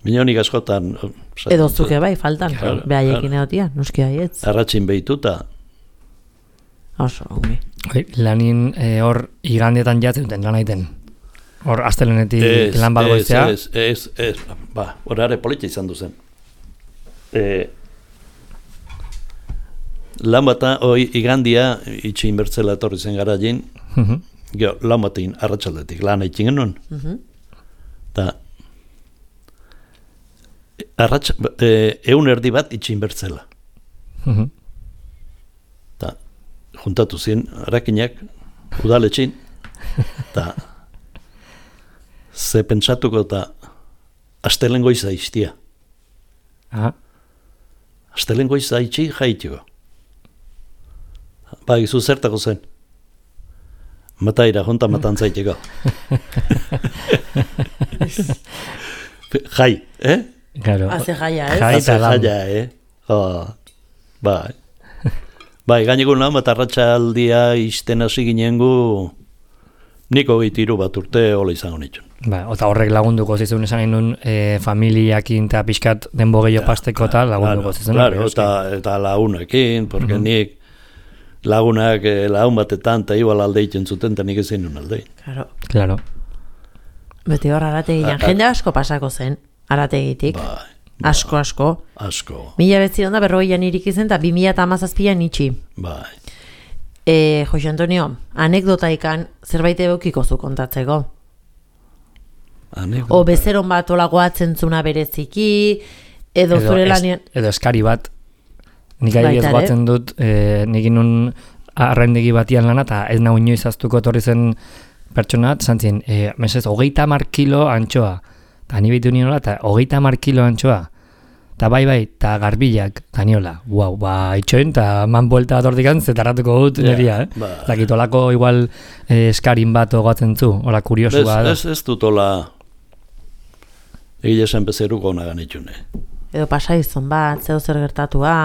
Minonik askotan... oh, esaten Edo zuen, zuke bai, faltan. Claro, Behaiekin claro. egotia, noski haietz. Arratxin behituta, Oso, ongi. Oi, lanin eh, hor igandetan jatzen duten lan aiten. Hor astelenetik ez, lan bat goizea. ez, ez, ez, ba, horare politia izan duzen. E, lan bata, oi, igandia, itxi inbertzela etorri zen gara jin, Mhm. gero, lan batein arratsaldetik lan aitzin genuen, Mhm. eta arratsa, e, eun erdi bat itxi inbertzela. Mhm. Eta juntatu zien arakinak udaletxin, eta ze pentsatuko eta astelen goiza iztia. Ah, Astelen goiza itxi jaitiko. Ba, izu zertako zen. Mataira, jonta matan zaiteko. Jai, eh? claro. Haze jaia, ez? Jai. Haze eta lan. jaia, eh? Oh, bai. Bai, gainekun lan bat arratsaldia izten hasi ginen gu niko gehitiru bat urte hola izango nituen. Ba, eta horrek lagunduko zizun esan nahi nun e, familiakin eta pixkat denbo gehiago pasteko eta lagunduko Claro, zizun. claro, eta, eta lagunekin, porque nik lagunak eh, lagun batetan eta igual alde egiten zuten, eta nik ezin nun alde. Claro. Claro. Beti hor arategian. A- a- Jende asko pasako zen, arategitik. Bai, Asko, asko. asko, Mila betzi onda berrogeian irik izen, eta bi mila eta hamazazpian itxi. bai. E, Jose Antonio, anekdotaikan zerbait eukiko zu kontatzeko. Anekdota. O bezeron bat olagoatzen zuna bereziki, edo, zure es- lanien... edo eskari bat. Nik Baita adibidez ere. goatzen dut, e, nik inun arrendegi batian lana, eta ez nau inoiz aztuko etorri zen pertsona, zantzien, e, mesez, hogeita hamar kilo antxoa, eta ni bitu niola, eta hogeita hamar kilo antxoa, eta bai bai, eta garbilak, eta niola, guau, ba, itxoin, eta man buelta bat hortikan, zetarratuko dut Ja, neria, eh? ba. Zakit, olako igual eh, eskarin bat ogatzen zu, hola kuriosua da. Ez, ez, ez dut hola egile esan bezeruko nagan itxune. Edo pasaizun bat, zeu zer gertatua,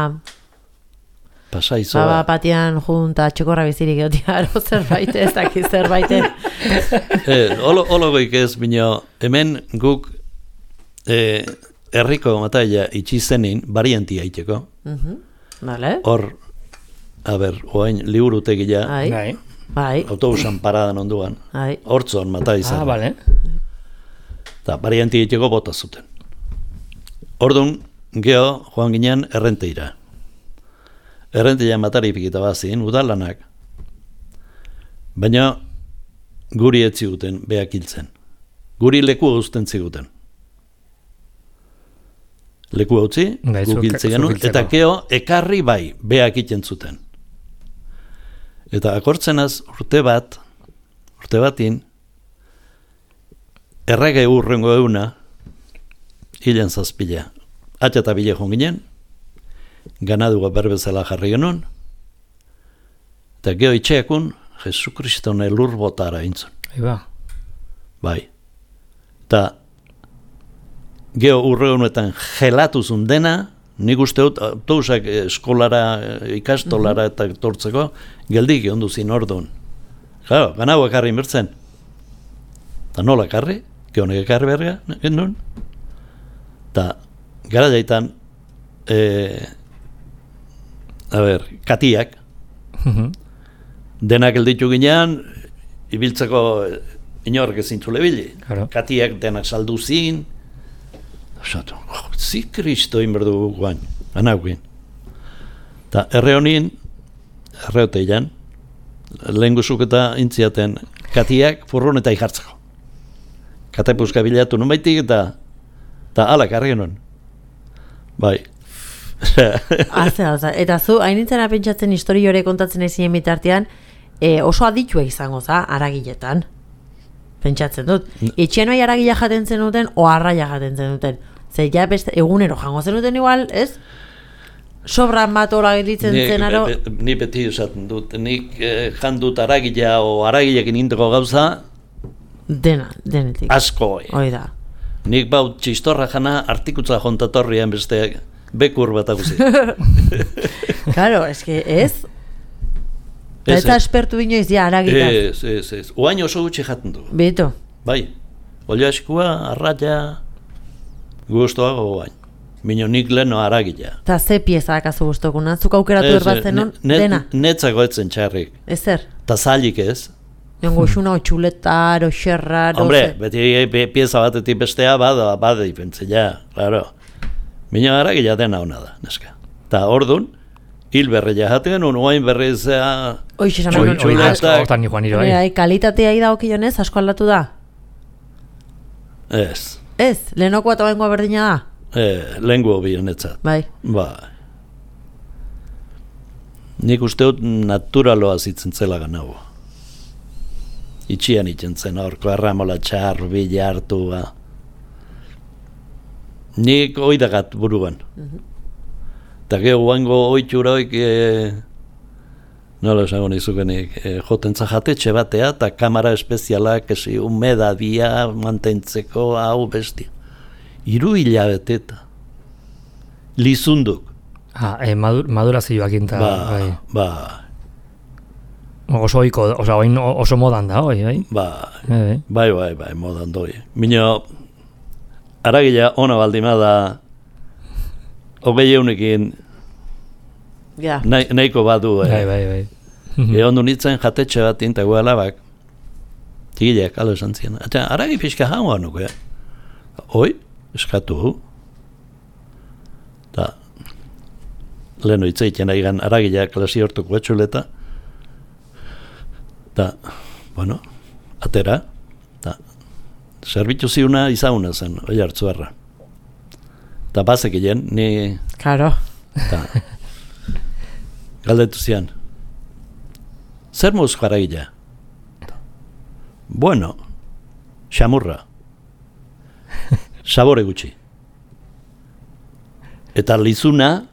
Pasaizoa. baba patian junta txokorra bizirik egotia, ero zerbait, ez daki zerbait. Eh, olo, olo goik ez, bino, hemen guk eh, herriko mataila itxi zenin, variantia itxeko. Vale? Hor, a ber, oain liburutegia, Ai, Bai. bai, autobusan paradan onduan, ai. hortzon mata izan. Ah, bale. Eta variantia itxeko bota zuten. Orduan, geho, joan ginen errenteira. Errenteia matari pikita bazin, udalanak. Baina, guri ez ziguten, beak hiltzen. Guri leku uzten ziguten. Leku utzi, Bai, guk zuk- hiltzen zuk genuen, hiltzeko. eta geho, ekarri bai, beak iten zuten. Eta akortzenaz urte bat, urte batin, errege urrengo euna, hilen zazpila. Atxa eta bile joan ginen, ganadua berbezala jarri genuen, eta geho itxeakun, Jesu Kristone lur botara intzun. Iba. Bai. Eta geho urregunetan gelatuzun dena, nik uste dut autobusak eskolara, ikastolara eta tortzeko, geldik egon duzin orduan. Claro, ganau ekarri inbertzen. Eta nola ekarri, gehonek ekarri berga, genuen. Eta gara jaitan, e, a ber, katiak, denak elditu ginean, ibiltzeko inork ezin zule bili. Claro. Katiak denak saldu zin, Osatu, oh, zi kristo inberdu guain, anaukin. Eta erre honin, erre hoteilan, lehen guzuk eta intziaten katiak furron eta ikartzeko. Katapuzka bilatu nun baitik eta eta alak argi nun. Bai. Aze, aze. Eta zu, hain nintzen apentsatzen histori hori kontatzen ezinen bitartean, e, oso aditua izango za, aragiletan. Pentsatzen dut. Etxean bai aragila jaten zenuten, o arraia jaten zenuten. Ze ja beste, egunero jango zenuten igual, ez? Sobran bat hola gelditzen Ni, zenaro. be, be, ni beti esaten dut, nik eh, jandut aragila o aragilekin indeko gauza, Dena, denetik. asko. eh. Hoi da. Nik bau txistorra jana artikutza jontatorrian beste bekur bat aguzi. Claro, eske ez? Ez, Eta ez. espertu inoiz ja aragitaz. Ez, ez, ez. Oain oso gutxi jaten du. Bito. Bai. Olio askua, arraia, guztuago oain. Mino nik leno aragila. Eta ze pieza akazu guztokuna? Zuk aukeratu Ez, erbatzen non? ne- Dena? Netzako etzen txarrik. Ezer? Ta zailik ez. Jongo xuna, o txuletar, o xerrar, o Hombre, ze- beti be- pieza batetik bestea bada, bada ipentzea, claro. Mino aragila dena hona da, neska. Ta ordun, hil berreia jaten, un oain berrizea... Hoixe esan Oi, nahi oi, nuen. oi, Ah, asko- hortan ni joan niro, Bai, bai. ai, kalitatea ida okionez, asko aldatu da? Ez, Ez, lehenoko eta baingoa berdina da? eh, lengu bienetzat. Bai. Ba. Nik uste dut naturaloa zitzen zela ganau. Itxian itzen zen, horko erramola txar, bila hartu, ba. Nik oidagat buruan. Eta gero guango oitxuroik, e, nola esango nizukenik, e, joten zajatetxe batea, eta kamara espezialak, esi, umedadia mantentzeko, hau bestia. Hiru hilabete eta lizunduk. Ah, eh, madur, madurazioak inta, Ba, bai. ba, Oso oiko, oso, oin oso modan da, oi, bai. ba, Eh, bai, bai, bai, modan doi. Mino, aragila ona baldima da, hogei eunekin Ja. nahi, nahiko badu, bai, eh. bai, bai. Egon du nintzen jatetxe bat inta alabak, tigileak, alo esan ziren. Eta aragi pixka hangoa nuke, eh? Oi, eskatu. Ta, leheno itzeiten aigan aragila klasi hortuko etxuleta. Ta, bueno, atera. Ta, zerbitu ziuna izauna zen, oi hartzu erra. Ta bazekien, ni, Claro. ta, galdetu zian. Zer mozko aragila? Bueno, xamurra. Sabore gutxi. Eta lizuna,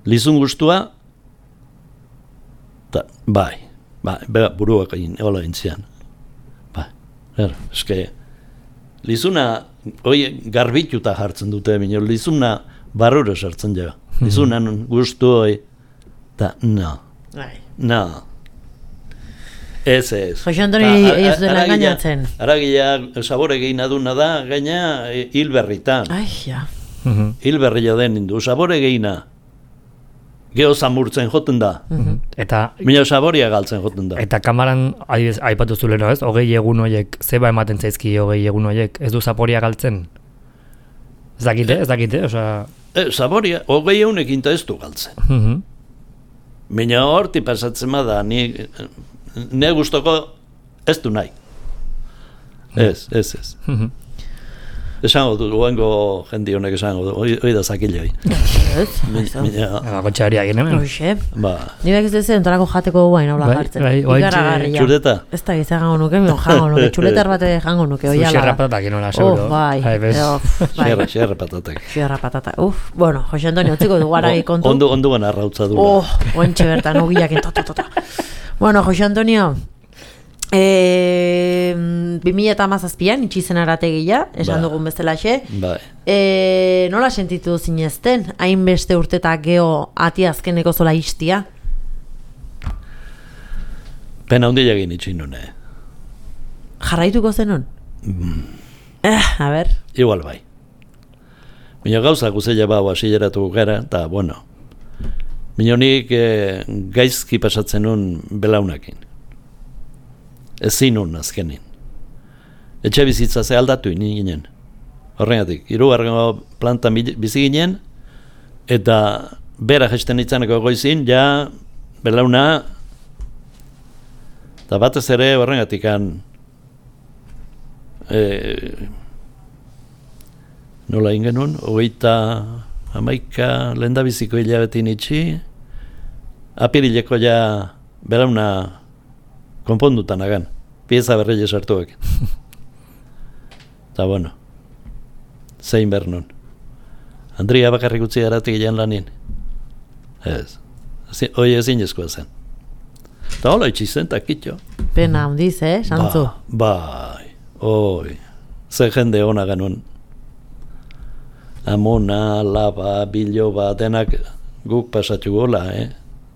lizun gustua, ta, bai, bai, bai, buruak egin, hola intzian. Bai, er, eske, lizuna, hoi garbituta jartzen dute, minio, lizuna barrura sartzen jo. Lizunan gustu hoi, ta, no, no. Ez, ez. Jose Antoni ez dela engainatzen. Aragia sabore gehin aduna da, gaina hil berritan. Ai, ja. Hil berria den indu, sabore gehina. Geho zamurtzen joten da. Eta Mino saboria galtzen joten da. eta kamaran adibidez aipatu zuleno, ez? Hogei egun horiek, zeba ematen zaizki hogei egun horiek, ez du zaporia galtzen? Ez dakite, ez dakite, osea... E, saboria, hogei eunekin ez du galtzen. Mhm. Mino horti pasatzen da, ni... Ne gustoko ez du nahi. Ez, ez, ez. Esango du, oengo jendi honek esango du, hoi da zakile hoi. Ez? Gotxaria egin hemen. Hoxe. Ba, Ni bak ez dezen, entorako jateko guain hola Bai, jartzen. bai, oaintxe- Ikaragarria. txurdeta. Ez da gizan jango nuke, mion jango nuke, txuletar bate jango nuke, oiala. Sushi patatak inola, seguro. Oh, bai. Ai, bez. Eo, bai. Xerra, xerra patatek. Xerra patata. Uf, bueno, Jose Antonio, utziko du garagi kontu. Ondo, ondo gana arrautza dula. Oh, ointxe bertan, ogiak to, to, to. Bueno, Jose Antonio, e, bi mila eta hamazazpian, itxizen arategia, esan Ba. dugun bezalaxe. Bai. E, nola sentitu zinezten, hainbeste urtetak geho ati azkeneko zola istia? Pena handia egin itxin nune. Jarraituko zenun? Eh, a ber. Igual bai. Baina gauza guzella bau asileratu gara, eta bueno. Baina nik eh, gaizki pasatzen nun belaunakin. Ezin nun azkenin. Etxe bizitza ze aldatu ini ginen. Horrengatik, hirugarrengo plantan bizi ginen, eta bera jesten itzaneko goizin, ja belauna, eta batez ere horrengatik kan, e, nola ingenun, hogeita hamaika lehendabiziko hilabetin itxi, apirileko ja belauna konpondutan agan, pieza berreile sartuak. Eta bueno, zein behar nun. Andria bakarrik utzi garatik gian lanin. Ez, hoi ezin ezkoa zen. Eta hola itxizen, eta kitxo. Pena handiz, eh, Santzu? Ba, bai, oi, ze jende hona ganun. Amona, laba, biloba, denak guk pasatu gola, eh?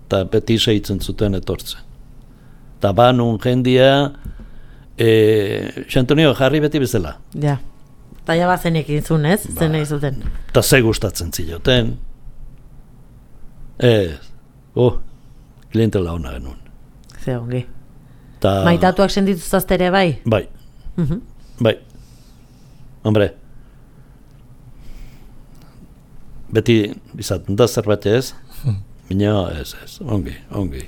Eta beti seitzen zuten etortzen. Eta banun jendia, e, Xantonio jarri beti bezala. Ja. Eta ja bazenek izun, ez? Zen nahi zuten. Eta ze gustatzen ziloten. Ez, oh, klientela hona genuen. Ze ongi. Ta, Maitatuak sendituzazte ere bai? Bai, Mhm. bai. Hombre, beti izaten da zerbait ez, baina ez, ez, ongi, ongi.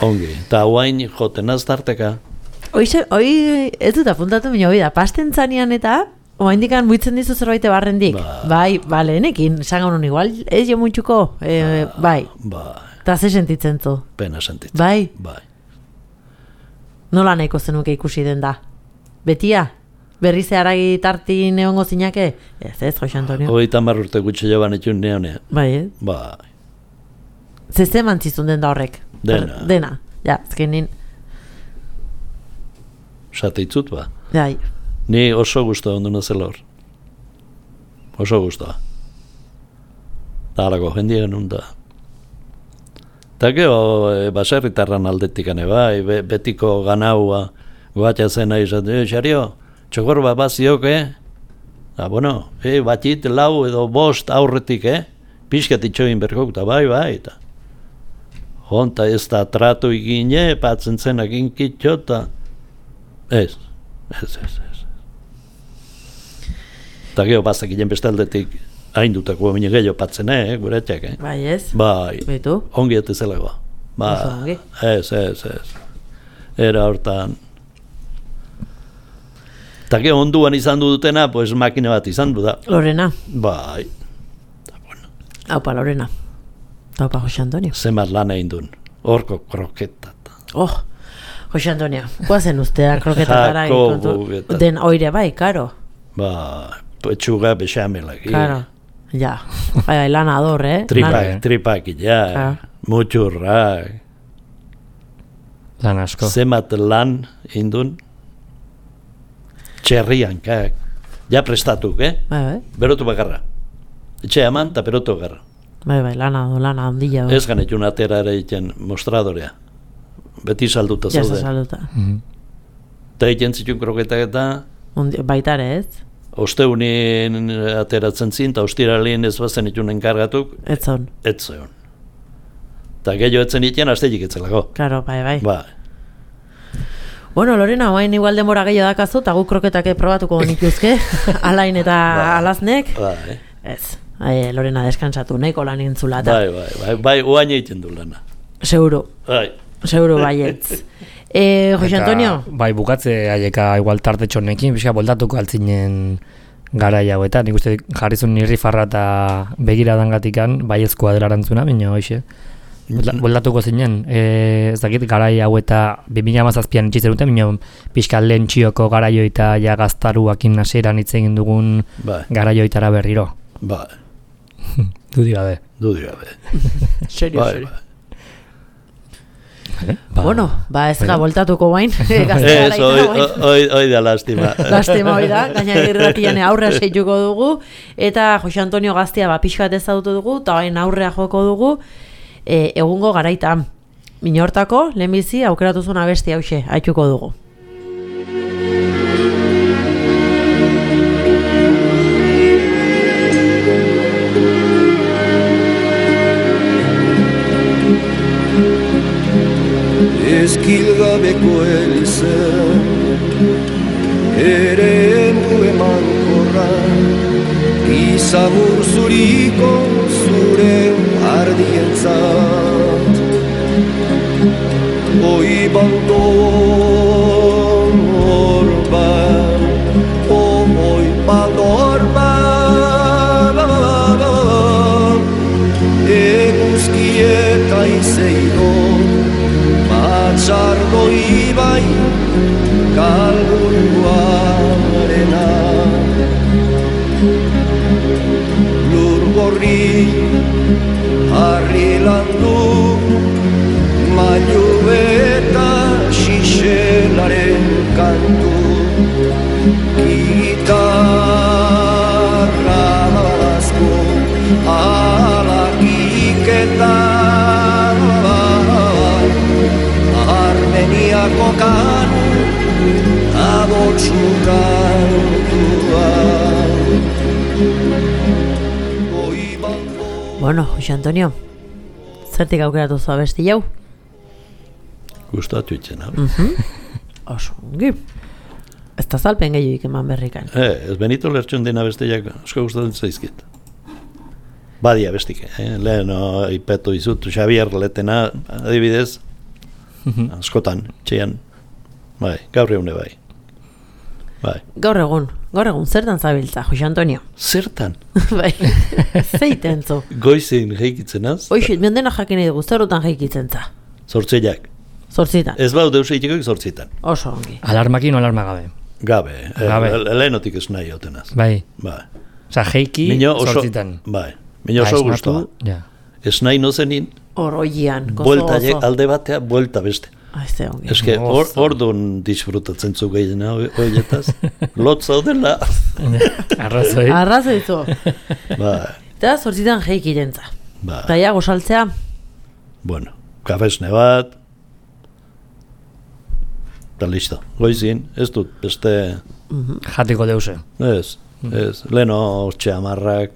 Ongi, eta huain joten aztarteka. Hoize, hoi ez dut apuntatu baina hoi da, pasten zanean eta oaindikan muitzen dizu zerbait barrendik. Ba. Bai, bale, enekin, esan gaunun igual, ez jo muntxuko, e, bai, Bai, eta ze sentitzen zu. pena sentitzen. Bai, Bai. nola nahiko zenuke ikusi den da? Betia? Berriz haragi tarti neongo zinake? Ez ez, Jose Antonio. Hogeita hamar urte gutxe joan etxun neonean. Bai, eh? Bai, Zezeman zizun den da horrek? Dena. Dena, ja, azkenin, sateitzut ba. jai. Ni oso guztua onduna zela hor. Oso guztua. Eta halako jendia genuen da. Eta geho, e, baserritarran aldetik ane bai, be, betiko ganaua, goatxa zena izan, e, xario, txokor bat baziok, eh? Da, bueno, e, batit lau edo bost aurretik, eh? Pixkat itxoin berkok, eta bai, bai, eta honta ez da tratu igine, patzen zenak inkitxo, eta ez, ez, ez, ez. Eta geho bazak ginen bestaldetik haindutako mine gehiago patzen, eh, gure etxek, eh? Bai, ez? Bai, Betu? ongi ete zelagoa. Ba, Oso ongi. ez, ez, ez. Era hortan. Eta geho onduan izan du dutena, pues makina bat izan du da. Lorena. Bai, Haupa, Lorena. Haupa, Jose Antonio. zenbat lan egin duen. Horko kroketa. Oh, Jose Antonio, guazen ustea kroketatara Jakobu eta- den oire bai, karo. Ba, petxuga bexamelak. Karo. Ja, bai, bai, lan ador, eh? Tripak, Lan- tripak, ja, Claro. muturrak. Lan asko. Zemat lan indun, txerriankak, ja prestatuk, eh? Bai, bai, Berotu bakarra. Etxe eman eta berotu bakarra. bai, bai, lan ador, lan handila. Ez ganetun atera ere egiten mostradorea. Beti salduta Ja, zauden. saluta. Mhm. Eta egiten zituen kroketak eta Baitare ez? osteunin ateratzen zin, eta ostiralien ez bazen itun enkargatuk, Ez zon. ez zeon. Eta gehiago etzen iten, azteik etzelako. Claro, bai, bai. Ba, Bueno, Lorena, oain igual denbora gehiago dakazu, eta guk kroketak probatuko nituzke, alain eta Ba. alaznek. ba, eh? Ez, ai, Lorena deskansatu, nahiko lan intzula eta. Bai, bai, bai, bai, oain egiten du lana. Seguro, Bai, seguro baietz. E, Jose Eta, Antonio? Bai, bukatze haieka igual tartetxonekin, pixka boldatuko altzinen garai hauetan. Nik uste jarrizun nirri farra eta begiradanggatikan baiezkoa dela erantzuna, baina hoxe. Bolda- Boldatuko zinen, e, ez dakit garai hau eta bi mila hamazazpian itxitzen duten, baina pixka lehen txioko garaio eta ja gaztaruakin hasieran hitz egin dugun bai, garaioitara berriro. bai, Dudi gabe. dudi gabe. Serio, Bai, serio. bai. Ba, Bueno, ba ez ga bueno. voltatuko bain. Ez, oi, oi, oi da lastima. Lastima hori da, gaina irratian aurrea seituko dugu, eta Jose Antonio gaztea ba, pixka bat ezagutu dugu, eta hain aurrea joko dugu, e, egungo garaita. Minortako, lehenbizi, aukeratu zuen abesti hause, haituko dugu. Ezkilgabeko elizen ere emu emankorra Izamur zuriko zure ardientzat Oi bandon orban Oi bandorban Eguzkieta izeidon Matxardo ibai kalburuarena Lur gorri harri landu Mailu eta xixelaren kantu Gitarra asko alakiketa Armeniako kanu abotsukantua Bueno, Jose Antonio, zertik aukeratu zu abesti jau? Gustatu itzen, hau. Oso, ongi. Ez da zalpen gehioik eman berrikan. Eh, ez benito lertxon dena bestiak asko gustatzen zaizkit. Badia bestik, eh? Lehen no, ipetu izut, Xavier letena, adibidez, askotan, txean, bai, gaur eune bai. Bai. Gaur egun, gaur egun, zertan zabiltza, Jose Antonio? Zertan? Bai, zeiten zu. Goizin jeikitzen az? Hoixit, mendena jakin edo zerutan jaikitzen za. Zortzeiak. Zortzitan. Ez bau deus eitiko zortzitan. Oso ongi. Alarmakin o alarma gabe. Gabe, eh, Gabe. le- lehenotik ez nahi otenaz. Bai. Bai. Osa, jeiki Mino oso, zortzitan. bai, mino oso Ba, esnatu, gustoa. Ja. Ez nahi nozenin, Oroian, gozo, buelta je- gozo. alde batea, buelta beste. Ah, ez da ongi. Eske, or, Gozo. orduan disfrutatzen zu gehiena horietaz. Lot zaudela. Arrazoi. Arrazoi zu. Bai, Eta zortzitan jaikitzen za. bai. Eta ja, gozaltzea, Bueno, kafesne bat, eta listo. Goizin, ez dut, beste, Jateko deuse. ez, ez, leheno hortxe amarrak,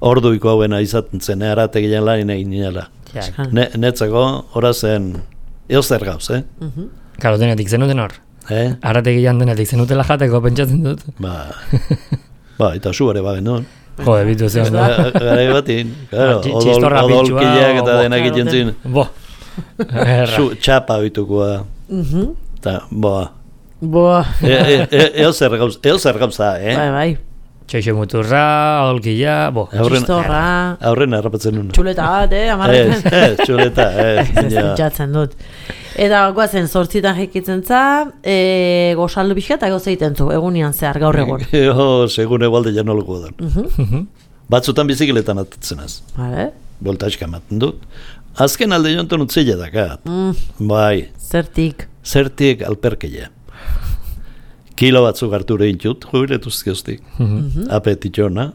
orduiko hauena izaten zen, erategian lan egin nila. Ja. Eskan. Ne, netzako, ora zen, eozer gauz, eh? Karo, denetik zenuten hor. Eh? Arrategian denetik zenutela jateko pentsatzen dut. Ba, ba, eta zu ere bagen, no? Jode, bitu zeon. Gara batin, claro, Ba, txi- odol, txistorra pintxua, odolkileak eta o- denak claro, egiten zin. Bo. Erra. Zu, txapa bitukoa, Mhm. eta, boa. Boa. E, e, e, eozer gauz, eozer gauza, eh? Bai, bai. Txoixo muturra, olkila, bo. Aurren, Txistorra, aurren harrapatzen nuen. txuleta bat, eh, Ez, amarretan. ez, txuleta, ez. Ez ja. pentsatzen dut. Eta guazen, zortzitan jekitzen za, e, gozaldu pixka eta goza egiten zu, egunian zehar, gaur egun. Jo, segun egualde janoleko dan. Mhm. Batzutan bizikletan atatzenaz. Vale. Voltaxka ematen dut. Azken alde jontan utzila dakat. Mm, Bai, zertik. zertik alperkeia. Kilo batzuk hartu rehintut, jubiletuz geostik. Apetitxona,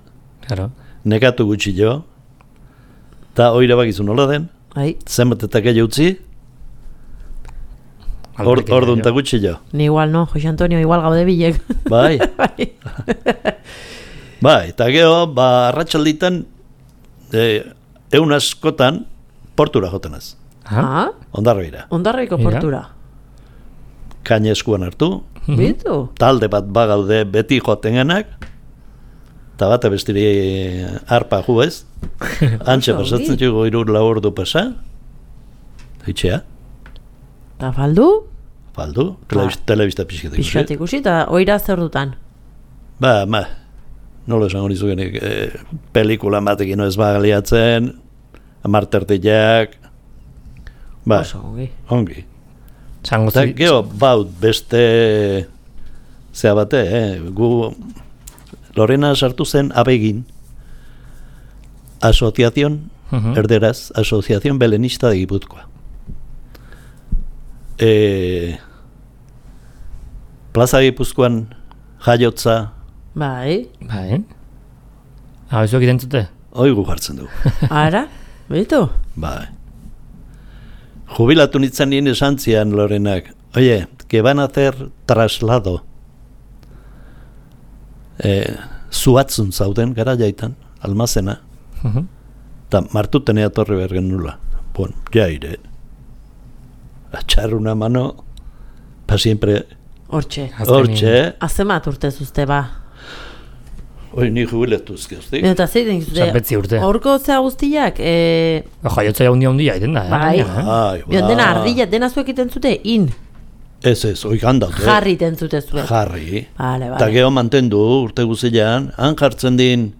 Claro. nekatu gutxi jo, eta oire bakizu nola den, Ai, zenbat eta gehi utzi, or, Alperkeria, orduan eta jo. gutxi jo. ni igual no, Jose Antonio, igual gaude bilek. Bai, Bai. bai, eta geho, ba, arratsalditan e, eun askotan, portura jotenaz, Ah, ondarroira. ondarroiko Mira. portura. Kaina eskuan hartu, Bitu? talde bat bagaude beti joten genak, eta bat bestiri arpa ju ez, antxe Oso pasatzen ongi. txugo irur lau ordu pasa, itxea, Ta faldu, faldu, telebista, telebista pixketik. pixkat ikusi, eta oira zer dutan. Ba, ma, nola esango nizukenik, e, pelikula batekin ez bagaliatzen, amartertiak, ba, Oso ongi. ongi. Zango Eta zi- geho, baut, beste, zea bate, eh, gu, Lorena sartu zen abegin, Asociación, Mhm. erderaz, Asociación Belenista de Gipuzkoa. E, Plaza Gipuzkoan jaiotza, Bai, Bai. Hau, ez egiten zute? oigu jartzen dugu. ara, bitu? Bai. Jubilatu nintzen nien esan zian Lorenak, oye, que van a hacer traslado. Eh, zuatzun zauden gara jaitan, almazena, Mhm. eta martuten eatorri bergen nula. Bueno, jaire. Atxar una mano, pa siempre, Hortxe. Azkenin. hortxe, Azemat urte zuzte ba. oi ni jubiletuz geoztik. Eta zeiten zuzte, Zapetzi urte. horko zea guztiak, e, Jaiotza ja hundia hundia egiten da, eh? Bai. gainera, eh? Ai, bion dena ba. ardilla, dena zuek iten zute, in, Ez ez, oigan dut, jarri iten zute zuek. Jarri. Vale, Eta vale. geho mantendu urte guzilean, han jartzen din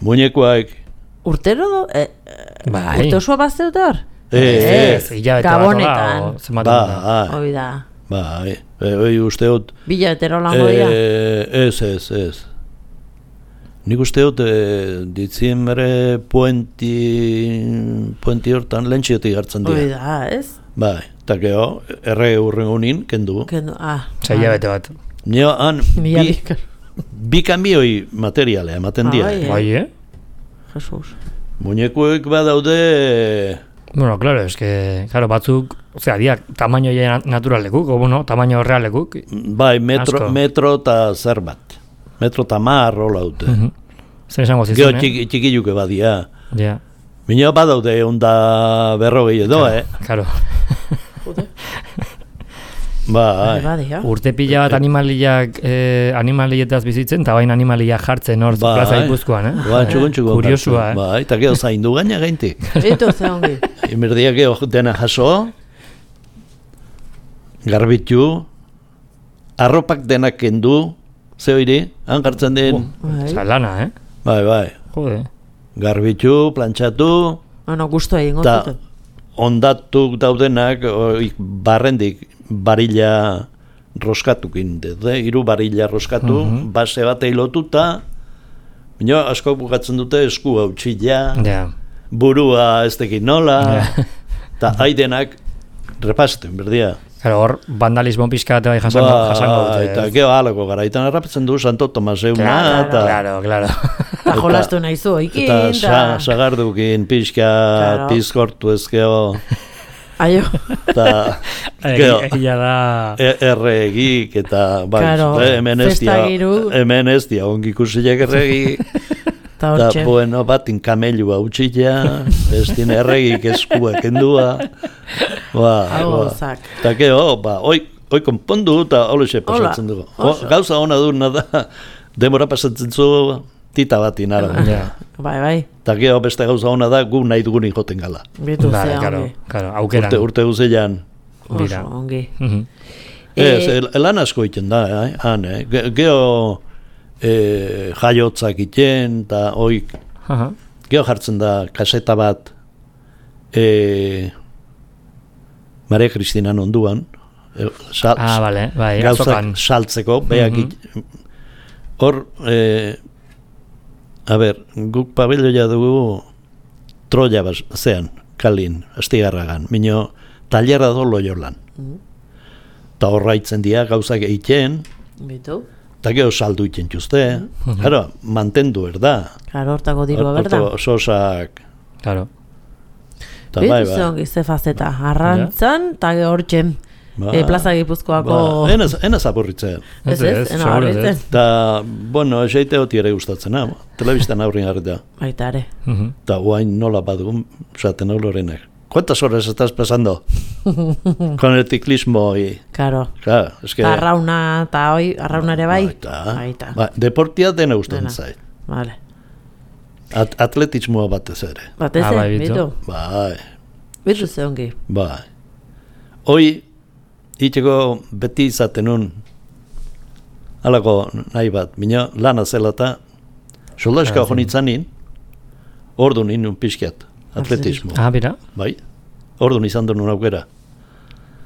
muñekoak, Urtero do, e, e, Bai. urte osoa bazte dut hor? Ez, hilabete bat Gabonetan. hola, o zenbat egun da. ba, Hoi da, bai, e, oi uste dut, bila betero lango dira. e, ez, ez, ez. Nik uste dut, e, diziembre puenti, puenti hortan lentxiotik hartzen Hoi dira. da, ez? Bai, eta geho, erre urrengunin, kendu. Kendu, ah. Osea, hilabete bat. Nio, han, Mila bi, bikar. bi kamioi materialea ematen dira. Bai, eh. Bai, eh? Jesus. Muñekoek badaude, Bueno, claro, es que, claro, batzuk, osea, diak, tamaino ja naturalekuk, o bueno, tamaino realekuk. bai, metro, Asko. metro eta zer bat. Metro eta mar rola dute. Mhm. Zer esango Geo zizun, eh? txiki, txikiluke badia. Ja, Minio badaude onda berrogei edo, eh? claro. Bai, Badia. Urte pila bat animaliak, eh, animalietaz bizitzen, eta bain animaliak jartzen hor Bai. plaza Gipuzkoan, eh? Ba, txukun txukun. Kuriosua, hartu. eh? Bai, eta gero zaindu gaina gaintik. Eto ze ongi. Imerdiak gero dena jaso, garbitu, arropak denak kendu, ze hori, han jartzen den, Bai. Osa, lana, eh? bai, bai, Jode. garbitu, plantxatu, Bueno, gustu egingo eta zuten. ondatuk daudenak, oik, barrendik, barilla roskatukin, de, hiru barilla roskatu, Mhm. base batei lotuta, baina asko bukatzen dute esku hautxila, Ja. burua ez tekin nola, Ja. eta haidenak repasten, berdia. Claro, hor vandalismo pixka eta bai jasango, Ba, jasango dute. eta ez? geho halako garaitan harrapatzen du Santo Tomaseuna, Claro, eta, claro, claro. Eta jolastu nahi zu, ikin, eta sa, eta... sagardukin pixka, Claro. pizkortu ez geho, Aio, eta Egi- geho, Egia da... E- erregik eta bai, Claro, eh, hemen ez dia, festa giru. hemen ez dia ongi ikusiak erregi, eta eta hortxe. bueno, batin kamelua utxila, ez din erregik eskuak endua, ba, Hau ba. gauzak. Eta geho, ba, oi, oi konpondu eta holoxe pasatzen Hola, dugu. O, oso. gauza hona duna da, demora pasatzen zu tita batin ara. Ja. Bai, bai, Eta geho beste gauza hona da, gu nahi dugunik joten gala. bitu Vale, ze claro, ongi. claro, aukeran. Urte, urte guzilean. Dira. Oso ongi. Mhm. Ez, Eh, el- lan asko iten da, eh? han, eh? Ge- Geho eh, jaiotzak iten, eta oik, Aha. geho jartzen da kaseta bat, eh, Maria Cristina onduan, e, sal, Ah, bale, bai, gauzak azokan. saltzeko, beak Mhm. hor, e, a ber, guk pabelloia dugu Troia bas, zean, kalin, astigarragan, mino talerra do Loiolan. Ta horraitzen dira gauzak egiten, Bitu. eta gero saldu iten txuzte. Claro, mantendu, erda. Claro, hortako dirua, berda. Horto sosak, Claro. eta bai, Bitu bai. zeon gizte fazeta. Arrantzan, eta hortxen. Ba, E, Plaza Gipuzkoako... ba, enaz, enaz aburritzen. Ez ez, ena seguro ez. barritzen. Eta, bueno, eseite hoti ere gustatzen, ha? Telebistan aurrin harrita. Baita ere. Mhm. Eta guain nola badugun, esaten hau lorenek. ¿Cuántas horas estás pasando con el ciclismo? Y, Claro. claro, es que... Ta arrauna, eta hoi, arrauna ere bai? Baita. Baita. Ba, deportia dena gustatzen Dena. zait. Vale. At, atletismoa batez ere. Batez, Ah, bai, eh, bitu. bitu. Bai, Bitu zeongi. bai. Hoi, itxeko beti izaten nun, halako nahi bat, mina lana zela eta soldaska Ah, hon itzanin, ordu nien pixkiat, atletismo. Ah, bera? Bai, ordu izan duen aukera.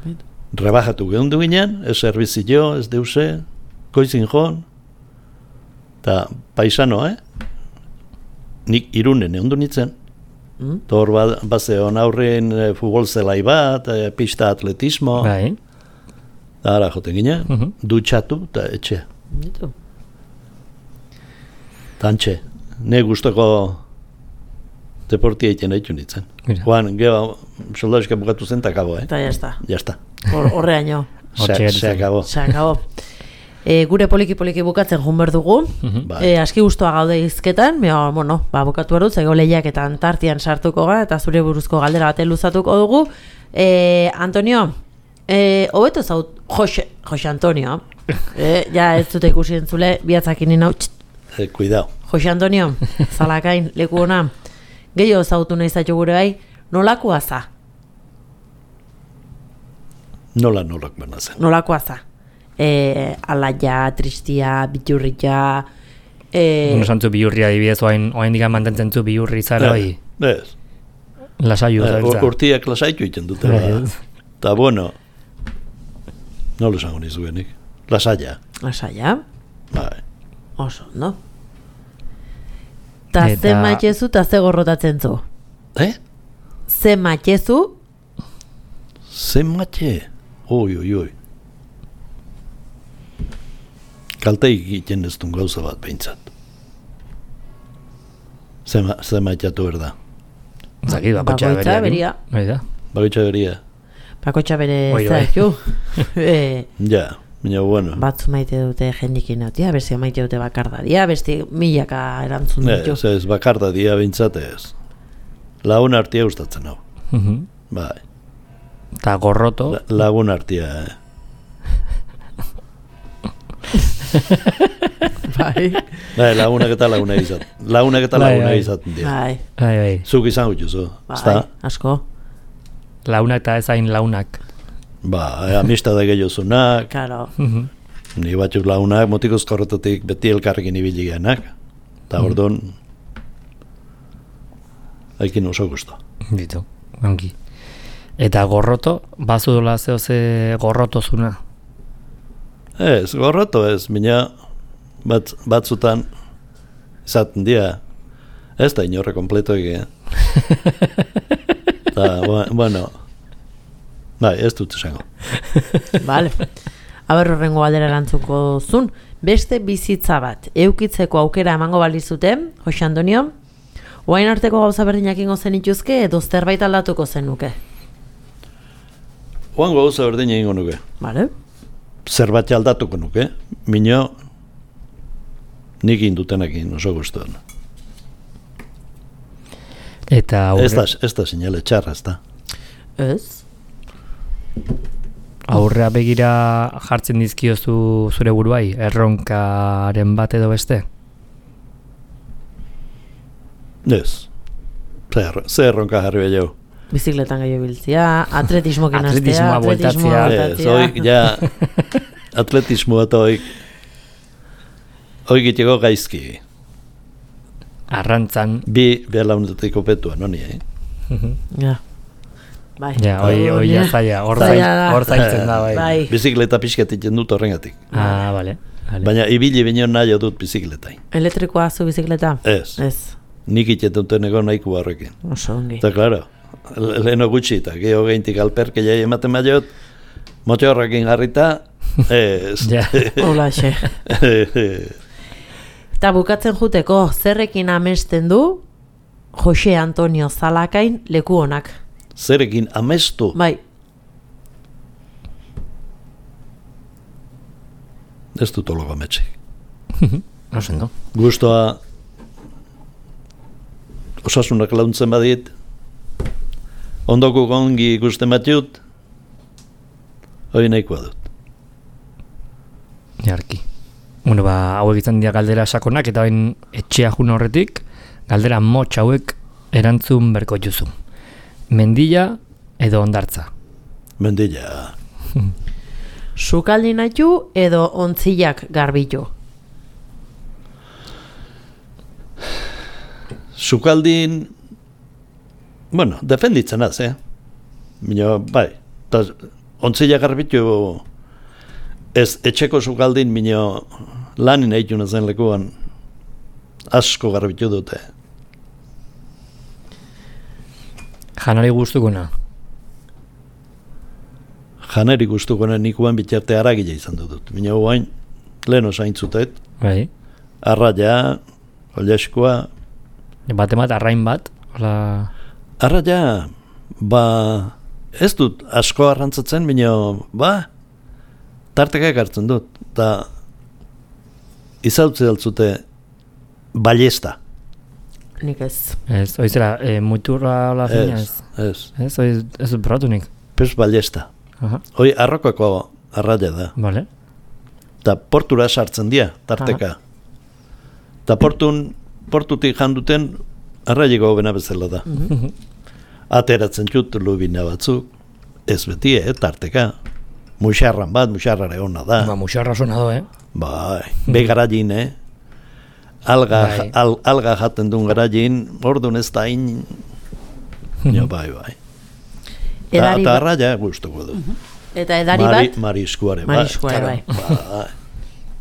Bitu. Rebajatu gehundu ginen, ez servizio, ez deuse, koizin joan, eta paisano, eh? Nik irunen egon du nintzen. Mm? Tor ba, bazeon aurren e, futbol zelai bat, e, pista atletismo, Bai. da ara joten ginen, Mhm. dutxatu eta etxe. Bitu. Tantxe, ne gustoko deportia egiten ditu nintzen. Mira. Juan, gero, soldaduska bukatu zen, eta akabo, eh? Eta jazta. Jazta. Hor, horreaino. Hortxe Se, gelditzen. se akabo. Se acabó. E, gure poliki-poliki bukatzen joan behar dugu. Mhm. Bai. E, aski gustoa gaude izketan, mea, bueno, ba, bukatu behar dut, zego lehiaketan tartian sartuko ga, eta zure buruzko galdera baten luzatuko dugu. E, Antonio, e, hobeto zaut, Jose, Jose Antonio, e, ja ez dute ikusi entzule, bihatzakin nina, Eh, cuidao. Jose Antonio, zalakain, leku ona, gehiago zautu nahi zaitu gure bai, nolakoa za, Nola nolak bena zen. nolakoa za. E, alaia, tristia, biturria, e, Uno santzu bihurria adibidez, oain, oain digan mantentzen zu bihurri zara, bai, Ez. lasaiu Eh, zabiltza. ur- Urtiak lasaitu egiten dute. Bai, Ba. ez. Eta bueno, nola esango nizuenik. Lasaia. lasaia, Bai. oso, no? Ta Eta- ze maitezu, ta ze gorrotatzen zu. Eh? Ze maitezu, Ze matxe? Oi, oi, oi. Kalte egiten ez duen gauza bat behintzat. Ze, ma, ze matxatu erda. Zaki, bakotxa Bakoitza beria. beria. Bai da. Bakotxa beria. bakotxa bere Oi, bai. zaitu. e, Ja, baina bueno. batzu maite dute jendikin nautia, beste maite dute bakardadia, beste milaka erantzun ditu. Ez, ez, bakarda dia behintzat ez. Lagun artia gustatzen hau. Mhm. Bai. Ta gorroto, La, lagun artia, eh. Bai, Bai, lagunak eta lagunak izaten. Lagunak eta Bai, lagunak bai. izaten dira. bai, bai, bai, Zuk izan gutxuzu, bai, ezta? asko, launak eta ezain launak. Ba, eh, amistade gehiozunak, karo, Mhm. ni batzuk lagunak, motikoz korretatik beti elkarrekin ibili geanak. Eta Mhm. orduan, haikin oso gusto. Ditu, ongi. Eta gorroto, bazu dola zeo ze gorrotozuna. Ez, gorroto ez, mina bat, batzutan izaten dira, ez da inorre kompleto egin. Eta, bu- bueno, bai, ez dut esango. Vale. Aber horrengo galdera erantzuko zun, beste bizitza bat, eukitzeko aukera emango balizuten, Jose Antonio, oain arteko gauza berdinak ingo zenituzke, edo zerbait aldatuko zenuke. Oango gauza berdin egingo nuke. Vale? Zerbait aldatuko nuke, mino nik indutenekin oso gustuan. Eta aurre, Ez da, ez da sinale txarra, ez da. Ez? aurrea begira jartzen dizkiozu zure buruai, erronkaren bat edo beste? Ez. Zer, zer erronka jarri behar. Bizikletan gehiago biltzia, atletismokin astea, Atletismoa bueltatzea. Ez, hoik, ja, atletismoa eta hoik, hoik itxeko gaizki. Arrantzan, Bi behar launetatik opetua, no ni, eh? Ja. bai. Ja, hoi, hoi ja zaila, hor Zaila zail- da. hor zailtzen da, bai. Bai. Bizikleta pixkat egiten dut horrengatik. Ah, bale. vale. Baina ibili bino nahi dut bizikletain. Elektrikoa zu bizikleta? Ez, Ez. nik iten duten egon nahiko horrekin. Oso ongi. Eta, klaro, le- leheno gutxi, eta geho geintik alperke jai ematen maiot, motorrekin jarrita, ez. Ja. Hola, xe. Eta bukatzen juteko, zerrekin amesten du Jose Antonio Zalakain leku honak. Zerekin amestu. Bai, Ez dut ologo ametxik. No sendo. Gustoa osasunak launtzen badit, ondoko gongi ikusten batut, hori nahikoa dut. Jarki. Bueno, ba, hauek izan dira galdera sakonak, eta bain etxea jun horretik, galdera motx hauek erantzun berko juzu. Mendilla edo ondartza. Mendilla. sukaldi naitu edo ontzilak garbitu. Sukaldin, bueno, defenditzen az, eh? Mino, bai, eta ontzila garbitu ez etxeko sukaldin, mino lanin egin zen lekuan asko garbitu dute. Janari guztukuna. Janeri gustukoen nikuan bitarte aragile izan dut. Mino guain, lehen osain zutet, Bai. arraia, oleskoa, Bate bat, arrain bat. Hola... arraia, ba, ez dut asko arrantzatzen, mino, ba, tarteka ekartzen dut, eta izautze altzute ballesta. Nik ez. Ez, oizera, e, muturra hola fina ez. Ez, ez, Ez, oiz, ez dut probatu nik. pez ballesta. Aha, Hoi arrokako arraia da. bale. Eta portura sartzen dira, tarteka. Eta portun, portutik janduten arraieko hobena bezala da. Ateratzen jut lubina batzuk, ez beti, eh, tarteka. Muxarran bat, muxarrare hona da. Ba, musarra sona do, eh? Bai, be garagin, eh? Alga, Bai. al, alga jaten duen garagin, orduan ez da in... Jo, bai, bai. Ta, Edari ta ba- arraia gustuko du. Eta edari Mari, bat, mariskuare, bai. Mariskuare, Claro, bai.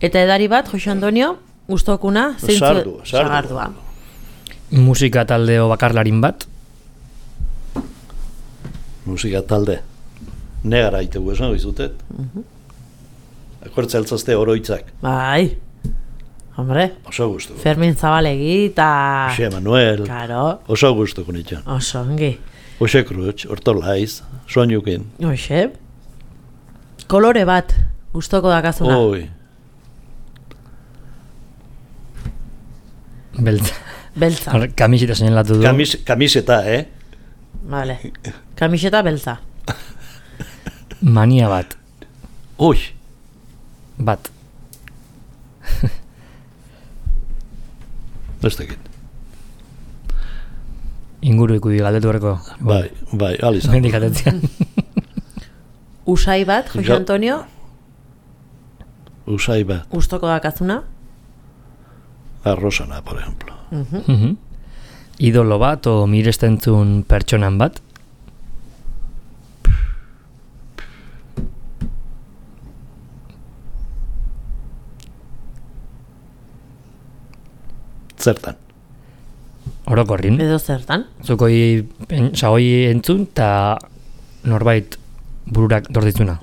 eta edari bat, Jose Antonio, gustokuna, zeintzu Sardu, sardu. sagardua. Musika taldeo bakarlarin bat. Musika talde. Negara itegu esan goizutet. Akortza altzazte oroitzak. Bai, hombre, Oso gustuko. Fermin Zabalegi eta... Jose Manuel. Karo, Oso gustuko nitxan. oso ongi. Jose Cruz, Hortolaiz, soinukin. Hoxe, kolore bat, gustoko dakazuna. Oi, Beltza. Beltza, Hor, Kamisita senelatu du. kamis, kamiseta, eh? vale. Kamiseta beltza. Mania bat. Ui, Bat. ez dakit. Inguru ikudi galdetu berko. Bai, bai, alizan. Mendik atetzean. Usai bat, Jose Jo- Antonio, Usai bat, gustoko dakazuna. arrosana, por ejemplo. Mhm. Idolo bat o mirestentzun pertsonan bat. Zertan. Orokorrin. Edo zertan. Zukoi, sagoi entzun eta norbait bururak dorditzuna.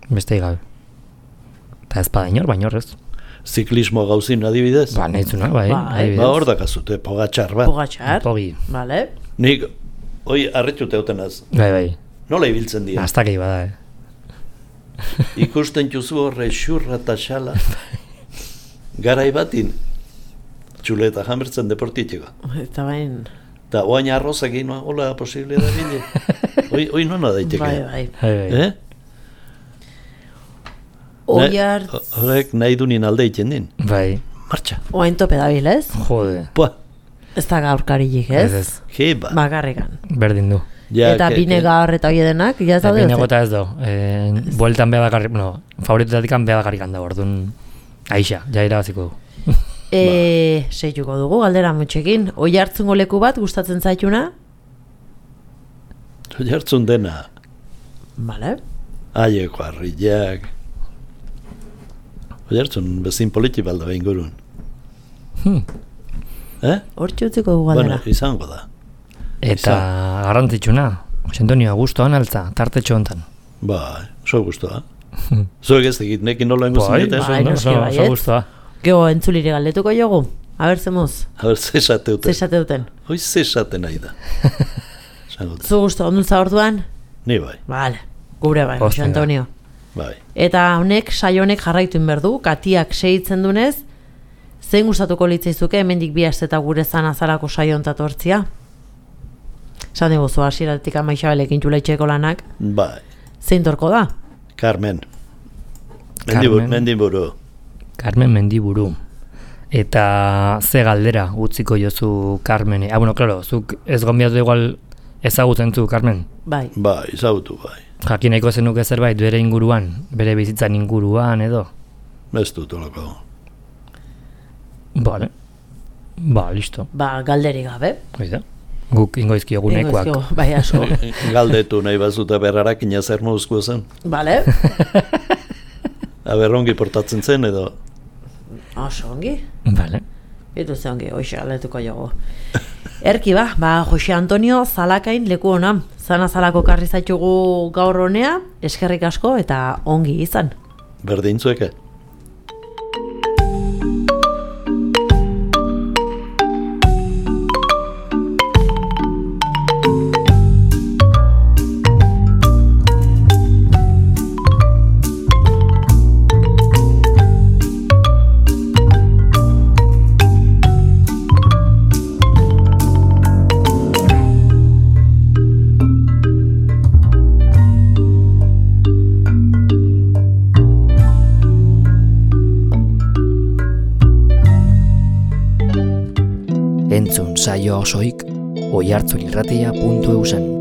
Beste gabe. Eta ez bada inor, baina horrez. Ziklismo gauzin adibidez. Ba, nahitzuna, bai. Bai. adibidez. Ba, hor dakazute, pogatxar bat. Pogatxar, Pogi. vale. Nik, hoi, arretxute eutenaz. Bai, bai. Nola ibiltzen dira? Aztakei bada, eh. Ikusten juzu horre xurra eta xala. Garai batin, txuleta jamertzen deportitiko. Eta bain, Eta oain arrozak egin, hola posible da bile. Hoi, hoi nona daiteke. bai, bai. Bai, bai. Eh? Oiar, Ne- Horrek nahi du nien alde iten din. Bai. Martxa. oain tope dabil, ez? Jode. Pua, Ez da gaurkarilik, ez? Ez ez. jeba. Bakarrikan. Berdin du. Ja, Eta ke- bine ke- gaur eta hoi denak, ja ez daude. Bine ez? gota ez do. E, bueltan beha bakarrik, no, favoritetatik beha bakarrik da, orduan aixa, ja irabaziko du. E, seituko dugu, galdera mutxekin. Oi hartzungo leku bat gustatzen zaituna? Oiartzun dena, Bale? haieko harriak. Oiartzun bezin politi balda behin gurun. Hmm. Eh? Hortxe utziko dugu Bueno, galdera. izango da. Eta garrantzitsuna, Jose Antonio, gustoan altza, tartetxo hontan. Bai, oso guztua. Zuek ez egit, nekin nola ingo Bai, zineten. bai, noski oso- baietz. oso gustoa. Gego entzulire galdetuko jogu. A ber, zemuz, A ber, zesate duten. zesate duten. Hoi zesate nahi da. Esango dut. Zu gusto, ondultza orduan? Ni bai, Bale, gure bai, Jose Hostia. Antonio. bai. Eta honek, saio honek jarraitu inberdu, katiak segitzen dunez, zein gustatuko litzaizuke hemendik bi asteta gure zan azalako saio ontat hortzia? Esan diguzu, hasieratik Ama Isabelekin txulaitxeko lanak, Bai, zein torko da? Carmen. Mendiburu. Carmen. Mendiburu. Carmen Mendiburu. Eta ze galdera utziko jozu Carmeni. Ah, bueno, claro, zuk ez gonbiatu igual ezagutzen zu, Carmen. Bai, Bai, izagutu bai. Jakin nahiko zenuke zerbait bere inguruan, bere bizitzan inguruan edo. Ez dut olako. Vale. Ba, listo. ba, galderi gabe. Hoi da. Guk ingoizki egunekoak. Ingo ezkio, bai, asko. Galdetu nahi bazuta berrarak zer moduzkoa zen. Bale, Aber ongi portatzen zen edo. oso ongi. Vale. Itu ze ongi, hoxe galdetuko jogu. Erki ba, ba, Jose Antonio Zalakain leku ona. Zana zalako karri zaitugu gaur honea, eskerrik asko eta ongi izan. Berdin zueke. Entzun saio osoik oihartzunirratia puntu eusen.